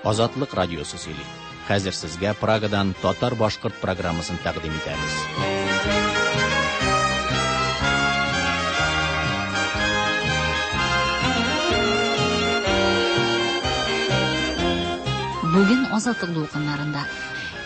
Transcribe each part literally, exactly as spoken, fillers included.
Азатлык радиосы сөйли. Хәзер сезгә Прагадан татар-башкорт программасын тәкъдим итәбез. Бүген Азатлык дулкыннарында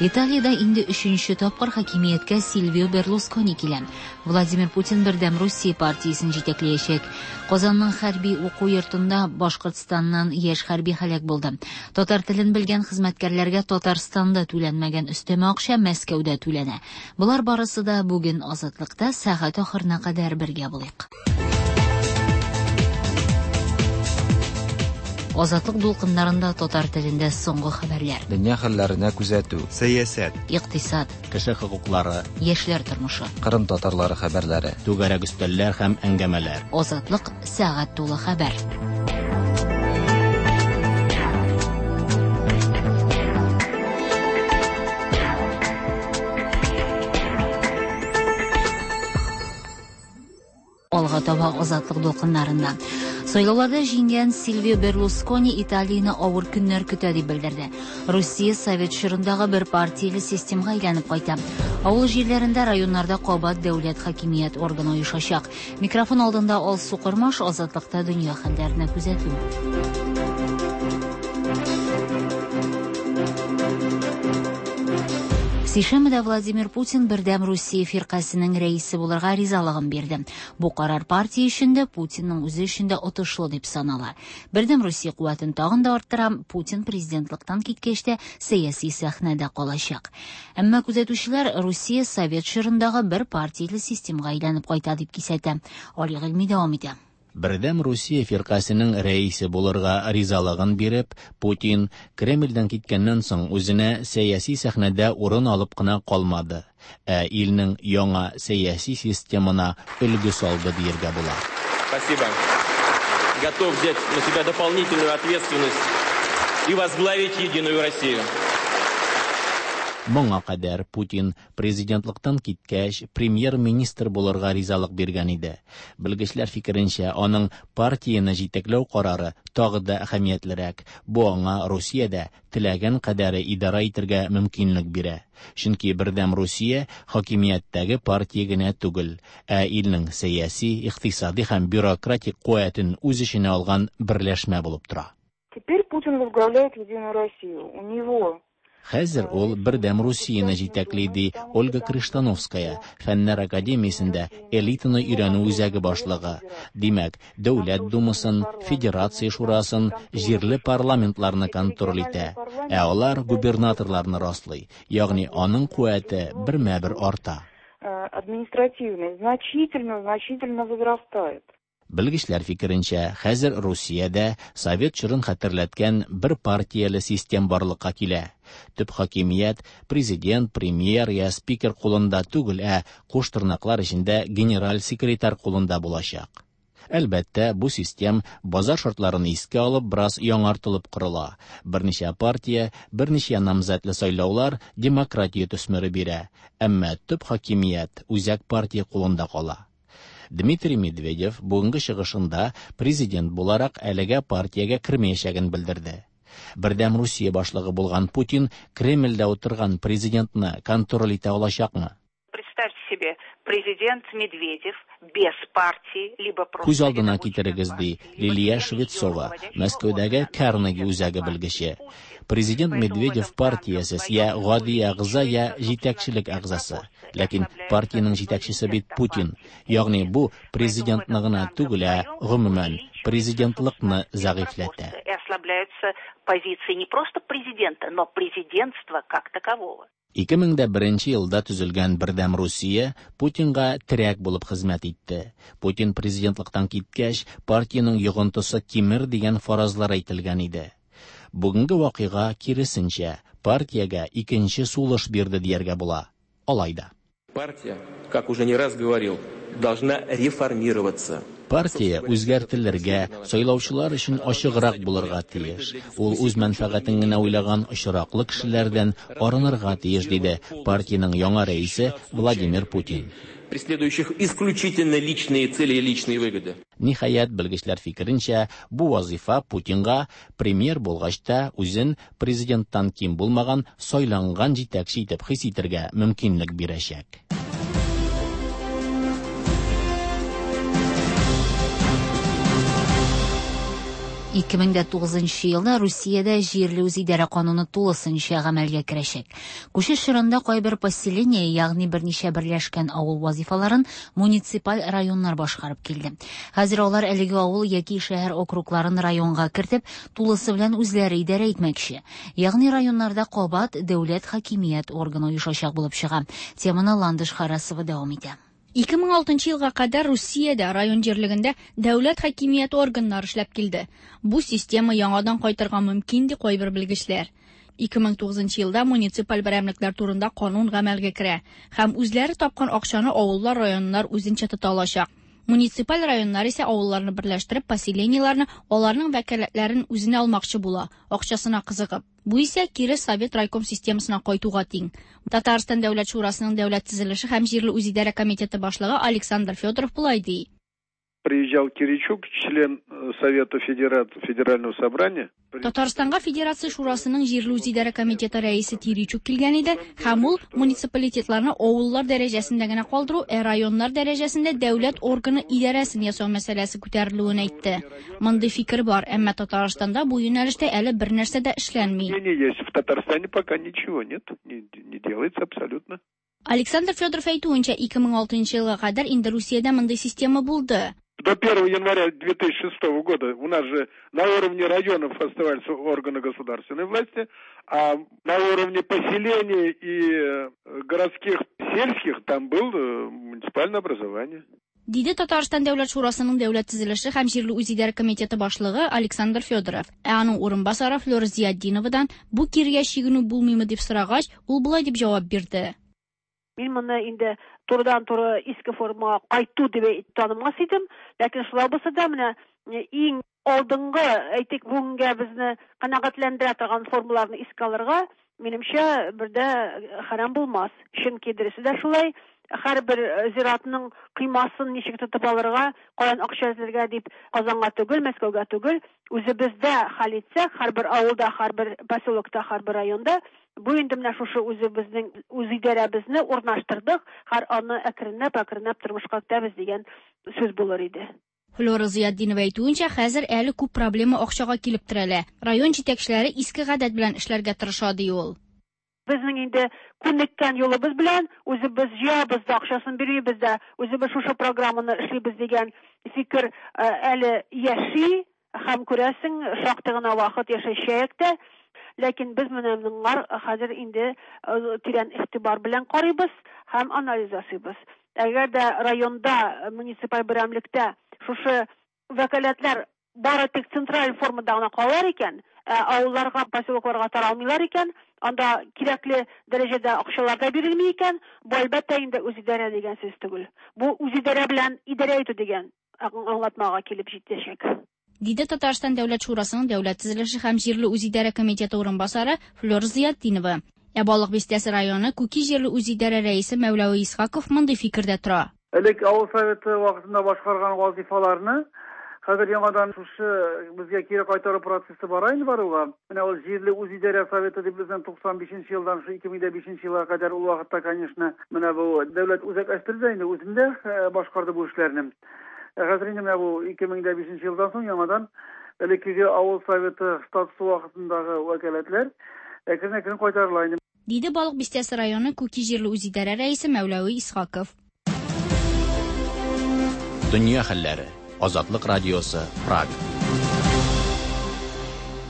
Италиядә инде өченче тапкыр хакимияткә Сильвио Берлускони килә. Владимир Путин Бердәм Русия партиясен җитәкләячәк. Казанның хәрби уку йортында Башкортстаннан яшь хәрби һәлак булды. Татар телен белгән хезмәткәрләргә Татарстанда түләнмәгән өстәмә акча Мәскәүдә түләнә. Болар барысы да бүген Азатлыкта сәгать ахырына кадәр бергә булыйк. Азатлык дулкыннарында татар телендә соңгы хәбәрләр. Дөнья хәлләренә күзәтү. Сәясәт. Икътисад. Кеше хокуклары. Яшьләр тормышы. Кырым татарлары хәбәрләре. Түгәрәк өстәлләр һәм әңгәмәләр. Азатлык сәгать тулы хәбәр. Алга таба Азатлык дулкыннарында. Сайлауларда җиңгән Сильвио Берлускони Италияне авыр көннәр көтә дип белдерде. Русия совет чорындагы бер партияле системага әйләнеп кайта. Авыл җирләрендә, районнарда кабат дәүләт хакимият органы оешачак. Микрофон алдында Алсу Кормаш, Азатлыкта дөнья хәлләренә күзәтү. Сишәмбедә Владимир Путин Бердәм Русия фиркасының рәисе булырга ризалыгын бирде. Бу карар партия өчен дә, Путинның үзе өчен дә отышлы дип санала. Бердәм Русия куәтен тагын да арттыра, Путин президентлыктан киткәч тә сәяси сәхнәдә калачак. Әмма күзәтүчеләр Русия совет чорындагы бер партияле системага әйләнеп кайта дип кисәтә. Али Гыйльми дәвам итә. Бердәм Русия фиркасының рәисе булырга ризалыгын биреп, Путин Кремльдән киткәннән соң үзенә сәяси сәхнәдә урын алып кына калмады, ә илнең яңа сәяси системына өлге салды дияргә була. Спасибо. Готов взять на себя дополнительную ответственность и возглавить Единую Россию. Моңа кадәр Путин президентлыктан киткәч премьер-министр булырга ризалык биргән иде. Белгечләр фикеренчә, аның партияне җитәкләү карары тагы да әһәмиятлерәк. Бу аңа Русиядә теләгән кадәре идара итәргә мөмкинлек бирә. Чөнки Бердәм Русия хакимияттәге партия генә түгел, ә илнең сәяси, икътисади һәм бюрократик куәтен үз эченә алган берләшмә булып тора. Теперь Путин возглавляет Единую Россию. У него Хәзер ул Бердәм Русияне җитәкли, ди Ольга Крыштановская, Фәннәр академиясендә элитаны өйрәнү үзәге башлыгы. Димәк, Дәүләт Думасын, Федерация Шурасын, җирле парламентларны контроль итә, ә алар губернаторларны раслый. Ягъни аның куәте бермә-бер арта. Административный значительно, значительно возрастает. Белгечләр фикеренчә, хәзер Русиядә совет чорын хәтерләткән бер партияле систем барлыкка килә. Төп хакимият президент, премьер я спикер кулында түгел, ә куш тырнаклар эчендә генераль секретарь кулында булачак. Әлбәттә, бу систем базар шартларын искә алып бераз яңартылып корыла. Берничә партия, берничә намзәтле сайлаулар демократия төсмере бирә. Әмма төп хакимият үзәк партия кулында кала. Дмитрий Медведев бүгенге чыгышында президент буларак әлегә партиягә кермәячәген белдерде. Бердәм Русия башлыгы булган Путин Кремльдә утырган президентны контроль итә алачакмы? Представьте себе, президент Медведев без партии, либо просто Күз алдына китерегез, ди Лилия Швецова, Мәскәүдәге Карнеги үзәге белгече. Президент Медведев партиясез я гади әгъза, я җитәкчелек әгъзасы. Ләкин партиянең җитәкчесе бит Путин. Ягъни бу президентны гына түгел, ә гомумән президентлыкны зәгыйфьләтә. И ослабляются позиции не просто президента, но президентства как такового. Ике мең дә беренче елда төзелгән Бердәм Русия Путинга терәк булып хезмәт итте. Путин президентлыктан киткәч, партиянең йогынтысы кимер дигән фаразлар әйтелгән иде. Бүгенге вакыйга киресенчә, партиягә икенче сулыш бирде дияргә була. Алай да. Партия, как уже не раз говорил, должна реформироваться. Партия үзгәртелергә, сайлаучылар өчен ачыграк булырга тиеш. Ул үз мәнфәгатен генә уйлаган очраклы кешеләрдән арынырга тиеш, диде партиянең яңа рәисе Владимир Путин. Преследующих исключительно личные цели и личные выгоды. Ниһаять, белгечләр фикеренчә, бу вазифа Путинга премьер булгач та үзен президенттан ким булмаган сайланган җитәкче итеп хис итәргә мөмкинлек бирәчәк. ике мең дә тугызынчы елда Русиядә җирле үзидарә кануны тулысынча гамәлгә керәчәк. Күчеш чорында кайбер поселение, ягъни берничә берләшкән авыл вазифаларын муниципаль районнар башкарып килде. Хәзер алар әлеге авыл яки шәһәр округларын районга кертеп, тулысы белән үзләре идарә итмәкче. Ягъни районнарда кабат дәүләт хакимият органы оешачак булып чыга. Теманы Ландыш Харасова дәвам итә. ике мең алтынчы елга кадәр Русиядә район җирлегендә дәүләт хакимияте органнары эшләп килде. Бу система яңадан кайтырга мөмкин, ди кайбер белгечләр. ике мең тугызынчы елда муниципаль берәмлекләр турында канун гамәлгә керә һәм үзләре тапкан акчаны авыллар, районнар үзенчә тота алачак. Муниципаль районнар исә авылларны берләштереп, поселениеләрне, аларның вәкаләтләрен үзенә алмакчы була, акчасына кызыгып. Бу исә кире совет райком системасына кайтуга тиң. Татарстан Дәүләт Шурасының Дәүләт төзелеше һәм җирле үзидарә комитеты башлыгы Александр Федоров болай ди. Приезжал Киричук, член Совета Федерального собрания. Татарстанга Федерация Шурасының җирле үзидарә комитеты рәисе Киричук килгән иде һәм ул муниципалитетларны авыллар дәрәҗәсендә генә калдыру, ә районнар дәрәҗәсендә дәүләт органы идарәсен ясау мәсьәләсе күтәрелүен әйтте. Мондый фикер бар, әмма Татарстанда бу юнәлештә әле бер нәрсә дә эшләнми. В Татарстане пока ничего нет, не, не делается абсолютно. Александр Федоров әйтүенчә, ике мең алтынчы елга кадәр инде Русиядә мондый система булды. До первого января две тысячи шестого года у нас же на уровне районов оставались органы государственной власти, а на уровне поселений и городских, сельских там было муниципальное образование. Диде Татарстан Дәүләт Шурасының Дәүләт төзелеше һәм җирле үзидарә комитеты башлыгы Александр Федоров. Ә аның урынбасары Флёра Зиятдиновадан бу киргә чигенү булмыймы дип сорагач, ул болай дип җавап бирде. Мин моны инде турыдан-туры иске формага кайту дип танымас идем, ләкин шулай булса да менә иң алдынгы, әйтик, бүгенгә безне канәгатьләндерә торган формаларны искә алырга, минемчә, бердә харам булмас. Чөнки дөресе дә шулай, һәрбер зиратның кыймасын ничек тотып алырга, каян акча эзләргә дип Казанга түгел, Мәскәүгә түгел, үзебездә хәл итсәк, һәрбер авылда, һәрбер поселокта, һәрбер районда бу инде менә шушы үзебезнең үзидарәбезне урнаштырдык, һәр аны әкренләп әкренләп тормышка кертәбез дигән сүз булыр иде. Флёра Зиятдинова әйтүенчә, хәзер әле күп проблема акчага килеп терәлә. Район җитәкчеләре иске гадәт белән эшләргә тырыша, ди ул. Безнең инде күнеккән юлыбыз белән үзебез җыябыз да, акчасын бирмибез дә, үзебез шушы программаны эшлибез дигән фикер әле яши һәм күрәсең, шактый гына вакыт яшәячәк тә. Ләкин без менә моңар хәзер инде тирән игътибар белән карыйбыз һәм анализ ясыйбыз. Әгәр дә районда, муниципаль берәмлектә шушы вәкаләтләр бары тик централь формада гына калар икән, авылларга, поселокларга таралмыйлар икән, анда кирәкле дәрәҗәдә акчалар да бирелми икән, бу әлбәттә инде үзидарә дигән сүз түгел. Бу үзидарә белән идарә итү дигән аңлатмага килеп җитәчәк. Диде Татарстан Дәүләт Шурасының Дәүләт төзелеше һәм җирле үзидарә комитеты урынбасары Флёра Зиятдинова. Ә Балык Бистәсе районы Күки җирле үзидарә рәисе Мәүләви Исхаков мондый фикердә тора. Элек авыл советы вакытында башкарган вазифаларны хәзер яңадан шушы безгә кире кайтару процессы бара инде баруга. Менә ул җирле үзидарә советы дип безнең туксан бишенче елдан шу ике мең дә бишенче елга кадәр ул вакытта, конечно, менә бу дәүләт үзәкләштерде инде, үзендә башкарды бу эшләрне. Хәзер инде менә бу ике мең дә бишенче елдан соң яңадан элеккеге авыл советы статусы вакытындагы вәкаләтләр әкрен-әкрен кайтарыла инде. Диде Балык Бистәсе районы Күки җирле үзидарә рәисе Мәүләви Исхаков. Дөнья хәлләре. Азатлык радиосы, Праг.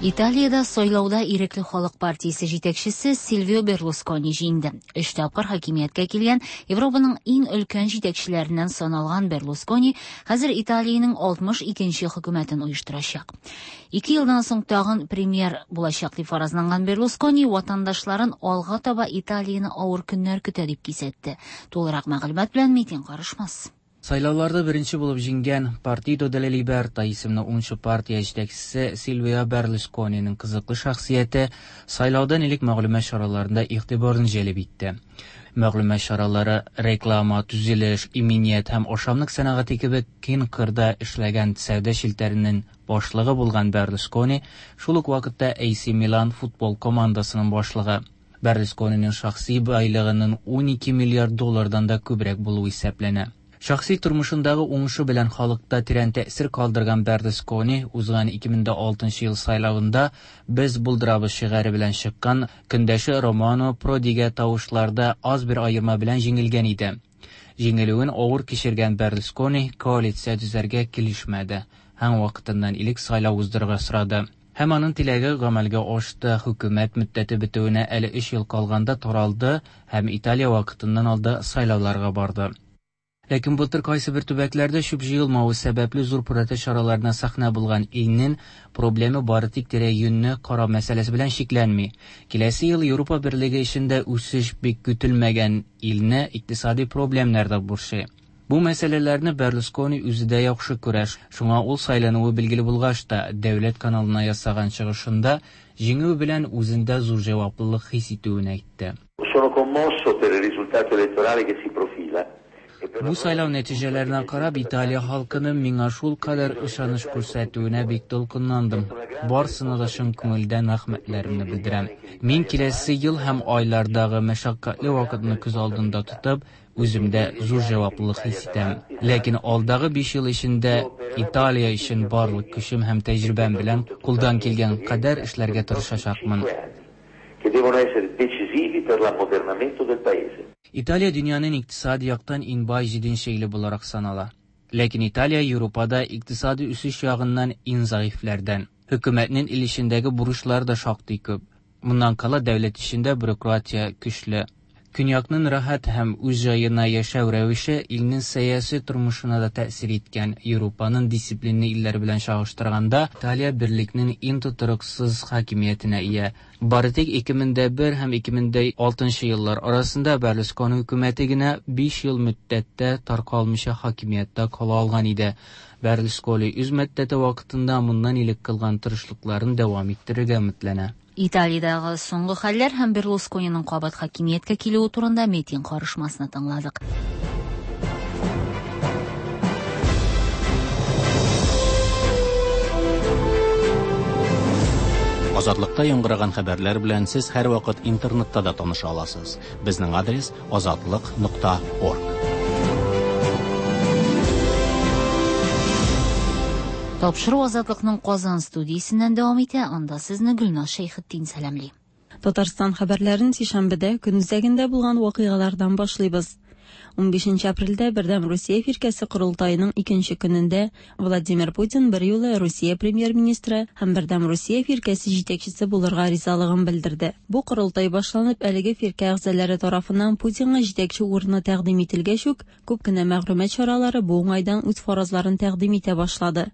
Италиядә сайлауда Ирекле халык партиясе җитәкчесе Сильвио Берлускони җиңде. Өч тапкыр хакимияткә килгән Европаның иң өлкән җитәкчеләреннән саналган Берлускони хәзер Италиянең алтмыш икенче хөкүмәтен оештырачак. Ике елдан соң тагын премьер булачак дип фаразланган Берлускони ватандашларын алга таба Италияне авыр көннәр көтә дип кисәтте. Тулырак мәгълүмат белән Митин Карышмас. Сайлауларда беренче булып җиңгән Партидо делла Либерта исемле унынчы партия җитәкчесе Сильвио Берлускониның кызыклы шәхсияте сайлаудан элек мәгълүмат чараларында игътибарны җәлеп итте. Мәгълүмат чаралары реклама, төзелеш, иминият һәм ашамлык сәнәгате кебек киң кырда эшләгән сәүдә челтәренең башлыгы булган Берлускони шул ук вакытта Эй Си Милан футбол командасының башлыгы. Берлускониның шәхси байлыгының ун ике миллиард доллардан да күбрәк булуы исәпләнә. Шәхси тормышындагы уңышы белән халыкта тирән тәэсир калдырган Берлускони узган ике мең дә алтынчы ел сайлавында «Без булдырабыз» шигаре белән чыккан көндәше Романо Продига тавышларда аз бер аерма белән җиңелгән иде. Җиңелүен авыр кичергән Берлускони коалиция төзәргә килешмәде һәм вакытыннан элек сайлау уздырырга сорады. Һәм аның теләге гамәлгә ашты. Хөкүмәт мөддәте бетүенә әле өч ел калганда таралды һәм Италия вакытыннан алда сайлауларга барды. Ләкин былтыр кайсы бер төбәкләрдә чүп җыелмавы сәбәпле зур протест чараларына сәхнә булган илнең проблемы бары тик тирә-юньне карау мәсьәләсе белән чикләнми. Киләсе ел Европа берлеге эчендә үсеш бик көтелмәгән илне икътисади проблемнар да борчый. Бу мәсьәләләрне Берлускони үзе дә яхшы күрә. Шуңа ул сайлануы билгеле булгач та дәүләт каналына ясаган чыгышында җиңү белән үзендә зур җаваплылык хис итүен әйтте. Sono commosso per il risultato elettorale che si profila. Бу сайлау нәтиҗәләренә карап, Италия халкының миңа шул кадәр ышаныч күрсәтүенә бик дулкынландым. Барысына да чын күңелдән рәхмәтләремне белдерәм. Мин киләсе ел һәм айлардагы мәшәкатьле вакытны күз алдында тотып, үземдә зур җаваплылык хис итәм. Ләкин алдагы биш ел эчендә Италия өчен барлык көчем һәм тәҗрибәм белән кулдан килгән кадәр эшләргә тырышачакмын. Che devono essere decisivi per l'ammodernamento del paese. Италия дөньяның икътисади яктан иң бай җиденче иле буларак санала. Ләкин Италия Европада икътисади үсеш ягыннан иң зәгыйфьләрдән. Хөкүмәтнең ил эчендәге бурычлары да шактый күп. Моннан кала дәүләт эчендә бюрократия көчле. Көньякның рәхәт һәм үз җаена яшәү рәвеше илнең сәяси тормышына да тәэсир иткән. Европаның дисциплинлы илләре белән чагыштырганда, Италия берлекнең иң тотрыксыз хакимиятенә ия. Бары тик ике мең дә бер һәм ике мең дә алтынчы еллар арасында Берлускони хөкүмәте генә биш ел мөддәттә таркалмыйча хакимияттә кала алган иде. Берлускони үз мөддәте вакытында моннан элек кылган тырышлыкларын дәвам иттерергә өметләнә. Италиядәге соңгы хәлләр һәм Берлускониның кабат хакимияткә килүе турында митинг карышмасына тыңладык. Азатлыкта яңгыраган хәбәрләр белән сез һәрвакыт интернетта да таныша аласыз. Безнең адрес азатлык нокта орг. Тапшыру Азатлыкның Казан студиясеннән дәвам итә. Анда сезне Гөлназ Шәйхетдин сәламли. Татарстан хәбәрләрен сишәмбедә көн үзәгендә булган вакыйгалардан башлыйбыз. Унбишенче апрельдә Бердәм Русия фиркәсе корылтаеның икенче көнендә Владимир Путин бер юлы Русия премьер-министры һәм Бердәм Русия фиркәсе җитәкчесе булырга ризалыгын белдерде. Бу корылтай башланып, әлеге фиркә әгъзалары тарафыннан Путинга җитәкче урыны тәкъдим ителгәч үк, күп кенә мәгълүмат чаралары бу уңайдан үз фаразларын тәкъдим итә башлады.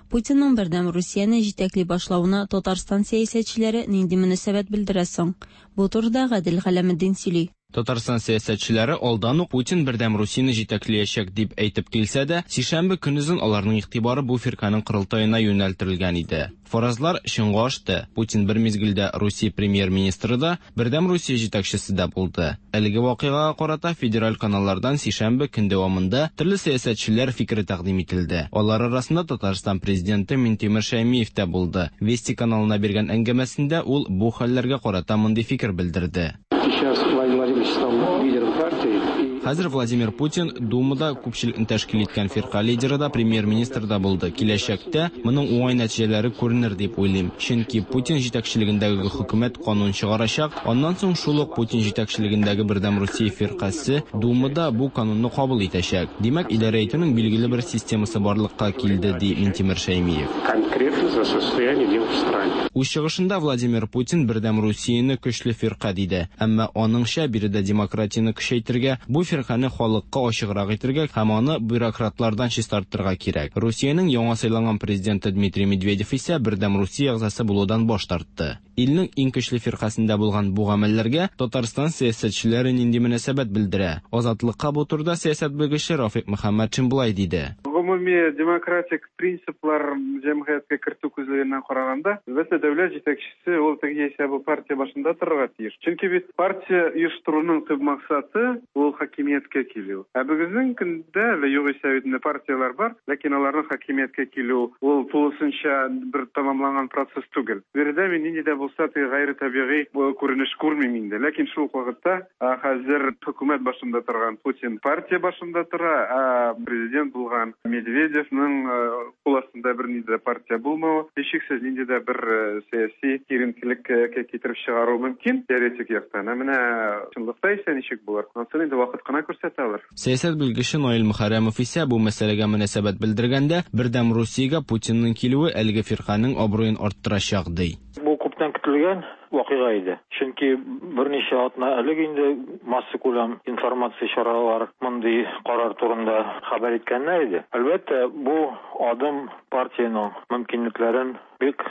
Путинның Бердәм Русияне җитәкли башлавына Татарстан сәясәтчеләре нинди мөнәсәбәт белдерә соң? Бу турыда Гадел Галәметдин сөйли. Татарстан сәясәтчеләре алдан ук Путин Бердәм Русияне җитәкләячәк дип әйтеп килсә дә, сишәмбе көнезен аларның игътибары бу фирканың корылтаена юнәлттерелгән иде. Фаразлар чынга ашты. Путин бер мизгелдә Русия премьер-министры да, Бердәм Русия җитәкчесе дә булды. Әлеге вакыйгага карата федераль каналлардан сишәмбе көн дәвамында төрле сәясәтчеләр фикере тәкъдим ителде. Алар арасында Татарстан президенты Минтимер Шәймиев тә булды. Вести каналына биргән әңгәмәсендә ул бу хәлләргә карата мондый фикер белдерде. Сейчас Владимир Владимирович стал лидером партии. Хәзер Владимир Путин Думада күпчелекне тәшкил иткән фирка лидеры да, премьер-министр да булды. Киләчәктә моның уңай нәтиҗәләре күренер дип уйлыйм. Чөнки Путин җитәкчелегендәге хөкүмәт канун чыгарачак, аннан соң шул ук Путин җитәкчелегендәге Бердәм Русия фиркасе Думада бу канунны кабул итәчәк. Димәк, идарә итүнең билгеле бер системасы барлыкка килде, ди Минтимер Шәймиев. Конкретно за состояние дел в стране. Үз чыгышында Владимир Путин Бердәм Русияне көчле фирка диде. Әмма аныңча биредә демократияне көчәйтергә, бу фиркане халыкка ачыграк итергә һәм аны бюрократлардан чистартырга кирәк. Русиянең яңа сайланган президенты Дмитрий Медведев исә Бердәм Русия әгъзасы булудан баш тартты. Илнең иң көчле фиркасендә булган бу гамәлләргә Татарстан сәясәтчеләре нинди мөнәсәбәт белдерә? Азатлыкка бу турыда сәясәт белгече Рафик Мөхәммәтшин болай диде. Гомуми демократик принциплар җәмгыятькә кертү күзлегеннән караганда, әлбәттә, дәүләт җитәкчесе ул теге яисә бу партия башында торырга тиеш. Чөнки бит партия оештыруның төп максаты ул хакимияткә килү. Ә бүгенге көндә әле югыйсә бит инде партияләр бар, ләкин аларның хакимияткә килү ул тулысынча бер тәмамланган процесс түгел. Биредә мин нинди дә булса теге гайре табигый күренеш күрмим инде. Ләкин шул ук вакытта хәзер хөкүмәт башында торган Путин партия башында тора, ә президент булган Медведевның кул астында бернинди дә партия булмавы, һичшиксез нинди дә бер сәяси киеренкелеккә китереп чыгаруы мөмкин теоретик яктан. Ә менә чынлыкта исә ничек булыр? Ансын инде вакыт кына күрсәтә алыр. Сәясәт белгече Наил Мөхәррәмов исә бу мәсьәләгә мөнәсәбәт белдергәндә, Бердәм Русиягә Путинның килүе әлеге фирканең абруен арттырачак, ди. Бу күптән көтелгән вакыйга иде. Чөнки берничә атна элек инде массакүләм информация чаралары мондый карар турында хәбәр иткәннәр иде. Әлбәттә, бу адым партиянең мөмкинлекләрен бик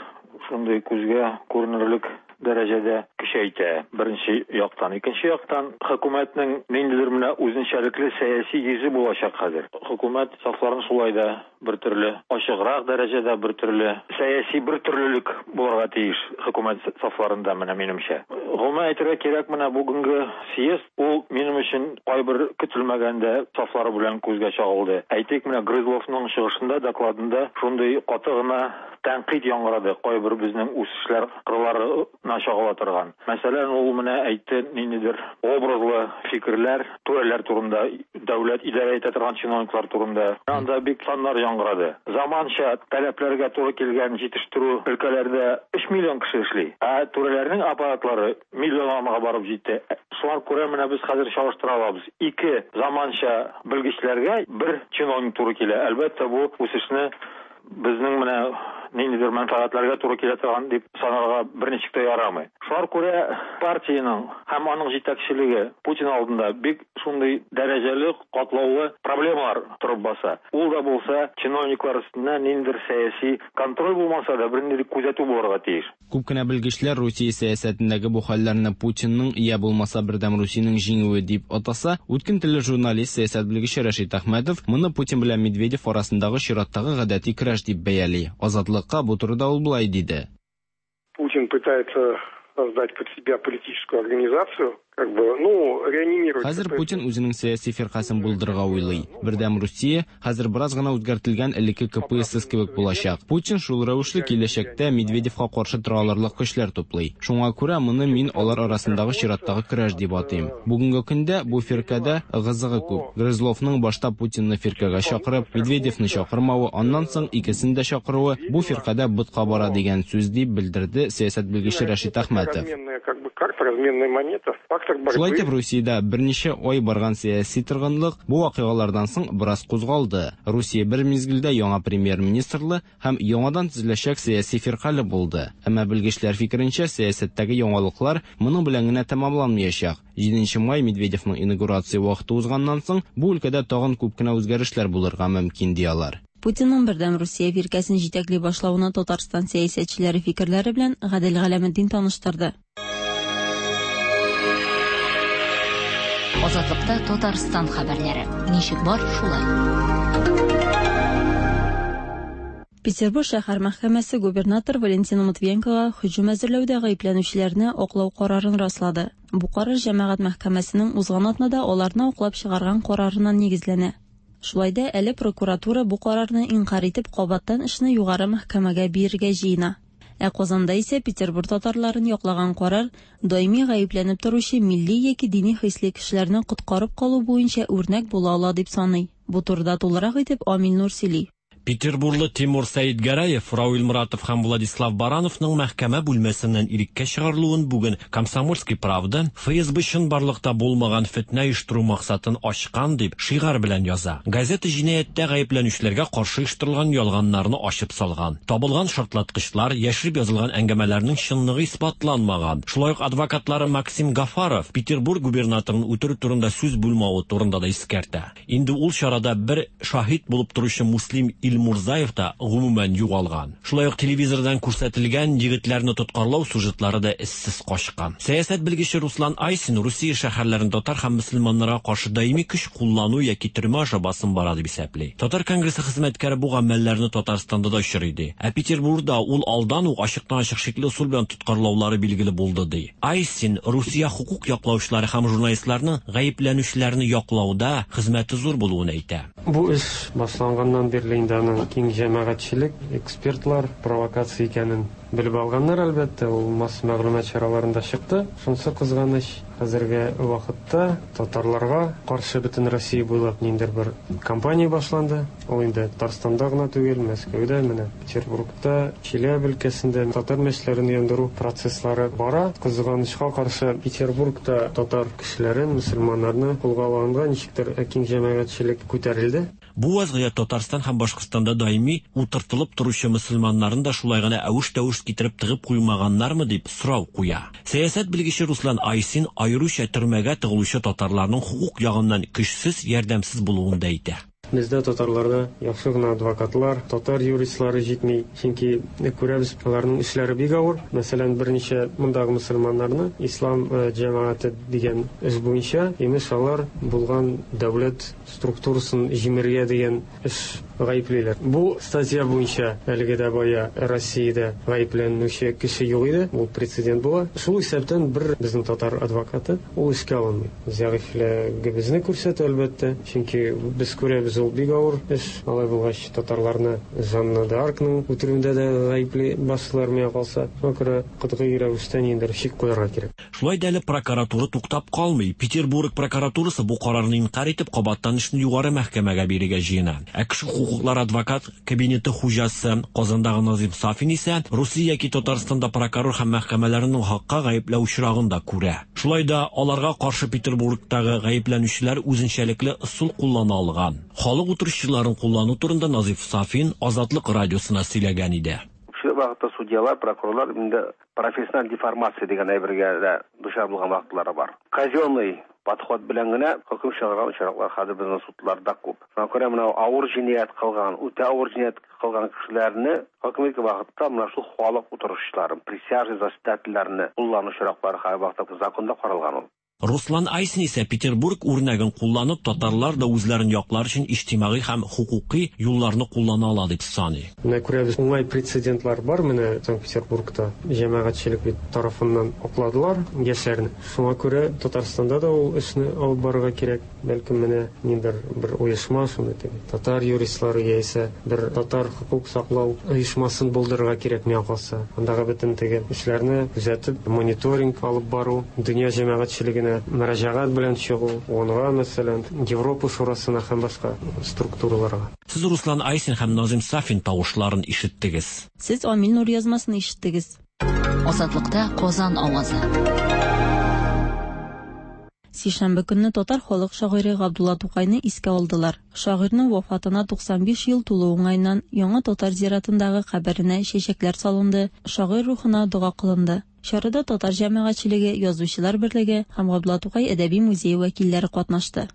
шундый күзгә күренерлек дәрәҗәдә көчәйтә. Беренче яктан, икенче яктан хөкүмәтнең ниндидер менә үзенчәлекле сәяси йөзе булачак хәзер. Хөкүмәт сафларын шулай да бер төрле ачыграк дәрәҗәдә, бер төрле сәяси бер төрлелек булырга тиеш хөкүмәт сафларында менә минемчә. Гомумән әйтергә кирәк, менә бүгенге съезд ул минем өчен кайбер көтелмәгәндә сафлары белән күзгә чагылды. Әйтик, менә Грызловның чыгышында, докладында шундый каты гына тәнкыйть яңгырады кайбер безнең үсешләр кырларына чагыла торган. Мәсәлән, ул менә әйтте ниндидер образлы фикерләр, түрәләр турында, дәүләт идарә итә торган чиновниклар турында. Анда бик саннар яңгырады. Заманча таләпләргә туры килгән җитештерү өлкәләрдә өч миллион кеше эшли. Ә түрәләрнең аппаратлары миллионга барып җитте. Шуңа күрә менә без хәзер чагыштыра алабыз. Ике заманча белгечләргә бер чиновник туры килә. Әлбәттә, бу үсешне безнең менә ниндидер мәнфәгатьләргә туры килә торган дип санарга берничек тә ярамый. Шуңа күрә партиянең һәм аның җитәкчелеге Путин алдында бик шундый дәрәҗәле, катлаулы проблемалар торып баса. Ул да булса чиновниклар өстеннән ниндидер сәяси контроль булмаса да бернинди күзәтү булырга тиеш. Күп кенә белгечләр Русия сәясәтендәге бу хәлләрне Путинның я булмаса Бердәм Русиянең җиңүе дип атаса, үткен телле журналист, сәясәт белгече Рәшит Әхмәтов моны Путин белән Медведев арасындагы чираттагы гадәти көрәш дип бәяли. Азатлыкка бу турыда ул болай диде. Путин пытается создать под себя политическую организацию, как бы, ну, реанимировать. Хәзер Путин үзенең сәяси фиркасын булдырырга уйлый. Бердәм Русия хәзер бераз гына үзгәртелгән элекке К П С С кебек булачак. Путин шул рәвешле киләчәктә Медведевка каршы тора алырлык көчләр туплый. Шуңа күрә моны мин алар арасындагы чираттагы көрәш дип атыйм. Бүгенге көндә бу фиркәдә ыгы-зыгы күп. Грызловның башта Путинны фиркәгә чакырып, Медведевны чакырмавы, аннан соң икесен дә чакыруы бу фиркәдә ботка бара дигән сүз дип белдерде сәясәт белгече Рәшит Әхмәтов. Как бы карта, разменная монета, фактор борьбы. Шулай итеп, Русиядә берничә ай барган сәяси торгынлык бу вакыйгалардан соң бераз кузгалды. Русия бер мизгелдә яңа премьер-министрлы һәм яңадан төзеләчәк сәяси фиркале булды. Әмма белгечләр фикеренчә, сәясәттәге яңалыклар моның белән генә тәмамланмаячак. җиденче май Медведевның инаугурация вакыты узганнан соң бу өлкәдә тагын күп кенә үзгәрешләр булырга мөмкин ди алар. Путинның Бердәм Русия фиркәсен җитәкли башлавына Татарстан сәясәтчеләре фикерләре белән Гадел Галәметдин таныштырды. Азатлыкта Татарстан хәбәрләре. Ничек бар, шулай. Петербург шәһәр мәхкәмәсе губернатор Валентина Матвиенкога һөҗүм әзерләүдә гаепләнүчеләрне аклау карарын раслады. Бу карар җәмәгать мәхкәмәсенең узган атнада аларны аклап чыгарган карарына нигезләнә. Шулай да әле прокуратура бу карарны инкар итеп кабаттан эшне югары мәхкәмәгә бирергә җыена. Ә Казанда исә Петербург татарларын яклаган карар даими гаепләнеп торучы милли яки дини хисле кешеләрне коткарып калу буенча үрнәк була ала дип саный. Бу турыда тулырак итеп Амил Нур сөйли. Петербурлы Тимур Сәидгәрәев, Рауил Муратов һәм Владислав Барановның мәхкәмә бүлмәсеннән иреккә чыгарылуын бүген «Комсомольский правда» Эф Эс Бэ чынбарлыкта булмаган фетнә оештыру максатын ачкан дип шигарь белән яза. Газета җинаятьтә гаепләнүчеләргә каршы оештырылган ялганнарны ачып салган. Табылган шартлаткычлар, яшереп язылган әңгәмәләрнең чынлыгы исбатланмаган. Шулай ук адвокатлары Максим Гафаров Петербург губернаторын үтерү турында сүз булмавы турында да искәртә. Инде ул чарада бер шаһит булып торучы Муслим Илмурзаев та гомумән югалган. Шулай ук телевизордан күрсәтелгән егетләрне тоткарлау сюжетлары да эзсез качкан. Сәясәт белгече Руслан Айсин Русия шәһәрләрендә татар һәм мөселманнарга каршы даими көч куллану яки төрмә аша басым бара дип исәпли. Татар конгрессы хезмәткәре бу гамәлләрне Татарстанда да очрый ди. Ә Петербургда ул алдан ук ачыктан-ачык шикле ысул белән тоткарлаулары билгеле булды ди. Айсин Русия хукук яклаучылары һәм журналистларның гаепләнүчеләрне яклауда хезмәте зур булуын әйтә. Бу эш башланганнан бирле инде аның киң җәмәгатьчелек, экспертлар провокация икәнен белеп алганнар, әлбәттә, ул масса мәгълүмат чараларында чыкты. Шунысы кызганыч, хәзерге вакытта татарларга каршы бөтен Россия буйлап ниндидер бер кампания башланды. Ул инде Татарстанда гына түгел, Мәскәүдә, менә Петербургта, Челәбе өлкәсендә татар мәчетләрен яндыру процесслары бара. Кызганычка каршы, Петербургта татар кешеләрен, мөселманнарны кулга алганга ничектер киң җәмәгатьчелек күтәрелде. Бу вазгыять Татарстан һәм Башкортстанда даими утыртылып торучы мөселманнарын да шулай гына әвеш-тәвеш китереп тыгып куймаганнармы дип сорау куя. Сәясәт белгече Руслан Айсин аеруча төрмәгә тыгылучы татарларның хукук ягыннан көчсез, ярдәмсез булуын да әйтә. Бездә татарларда яхшы гына адвокатлар, татар юристлары җитми, чөнки күрәбез, аларның эшләре бик авыр. Мәсәлән, берничә мондагы мөселманнарны ислам җәмәгате дигән эш буенча, имеш, алар булган дәүләт структурасын җимерергә дигән эш гаеплиләр. Бу статья буенча әлеге дә бая Россиядә гаепләнүче кеше юк иде, ул прецедент була. Шул исәптән бер безнең татар адвокаты ул эшкә алынмый. Зәгыйфьлегебезне күрсәтә, әлбәттә, чөнки без күрәбез, ул бик авыр эш. Алай булгач, татарларны Жанна д'Аркның үтерүендә дә гаепле басылар миңа калса. Шуңа күрә катгый рәвештә ниндидер чик куярга кирәк. Шулай да әле прокуратура туктап калмый. Петербург прокуратурасы бу карарны инкарь итеп, кабаттан эшне югары мәхкәмәгә бирергә җыена. Ә кеше хукуклары адвокат кабинеты хуҗасы Казандагы Назим Сафин исә Русия яки Татарстанда прокурор һәм мәхкәмәләрнең хакка гаепләү очрагын да күрә. Шулай да аларга каршы Петербургтагы гаепләнүчеләр үзенчәлекле ысул куллана алган. Халык утырышчыларын куллану турында Назиф Сафин Азатлык радиосына сөйләгән иде. Шул вакытта судьялар, прокурорлар инде профессиональ деформация дигән әйбергә дә дучар булган вакытлары бар. Казенный подход белән генә хөкем чыгарган очраклар хәзер безнең судларда күп. Шуңа күрә менә авыр җинаять кылган, үтә авыр җинаять кылган кешеләрне хөкем иткән вакытта менә шул халык утырышчыларын, присяжный заседательләрне куллану очраклары һәр вакытта законда каралган ул. Руслан Айсин исә Петербург үрнәген кулланып, татарлар да үзләрен яклар өчен иҗтимагый һәм хукуки юлларны куллана ала дип саный. Менә күрәбез, уңай прецедентлар бар, менә Санкт-Петербургта җәмәгатьчелек бит тарафыннан акладылар яшьләрне. Шуңа күрә Татарстанда да ул эшне алып барырга кирәк. Бәлкем менә ниндидер бер оешма, шундый теге татар юристлары яисә бер татар хукук саклау оешмасын булдырырга кирәк миңа калса. Андагы бөтен теге эшләрне күзәтеп, мониторинг алып бару, дөнья җәмәгатьчелегенә мөрәҗәгать белән чыгу, ООНга, мәсәлән, Европа шурасына һәм башка структураларга. Сез Руслан Айсин һәм Назим Сафин тавышларын ишеттегез. Сез Амил Нур язмасын ишеттегез. Азатлыкта Казан авазы. Сишәмбе көнне татар халык шагыйре Габдулла Тукайны искә алдылар. Шагыйрьнең вафатына туксан биш ел тулу уңаеннан яңа татар зиратындагы каберенә чәчәкләр салынды, шагыйрь рухына дога кылынды. Чарада татар җәмәгатьчелеге, язучылар берлеге һәм Габдулла Тукай әдәби музее вәкилләре катнашты.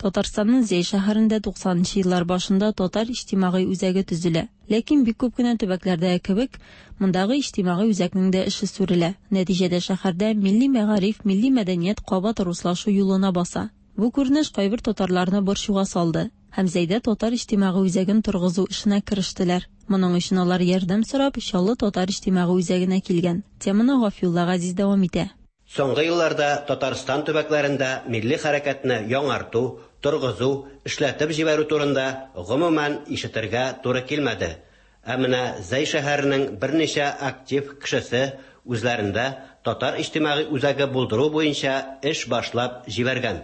Татарстанның Зәй шәһәрендә туксанынчы еллар башында татар иҗтимагый үзәге төзелә. Ләкин бик күп кенә төбәкләрдәге кебек, мондагы иҗтимагый үзәкнең дә эше сүрелә. Нәтиҗәдә шәһәрдә милли мәгариф, милли мәдәният кабат руслашу юлына баса. Бу күренеш кайбер татарларны борчуга салды һәм Зәйдә татар иҗтимагый үзәген торгызу эшенә керештеләр. Моның өчен алар ярдәм сорап Чаллы татар иҗтимагый үзәгенә килгән. Теманы Гафиулла Газиз дәвам итә. Соңгы елларда Татарстан төбәкләрендә милли хәрәкәтне яңарту, торгызу, эшләтеп җибәрү турында гомумән ишетергә туры килмәде. Ә менә Зәй шәһәренең берничә актив кешесе үзләрендә татар иҗтимагый үзәге булдыру буенча эш башлап җибәргән.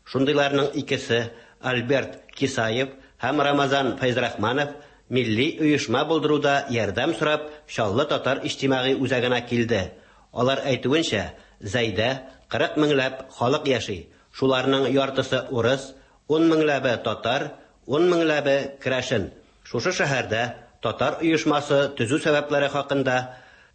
Шундыйларның икесе Альберт Кисаев һәм Рамазан Фәйзрахманов милли оешма булдыруда ярдәм сорап Чаллы татар иҗтимагый үзәгенә килде. Алар әйтүенчә, Зәйдә кырык меңләп халык яши. Шуларның яртысы урыс, ун меңләбе татар, ун меңләбе керәшен. Шушы шәһәрдә татар оешмасы төзү сәбәпләре хакында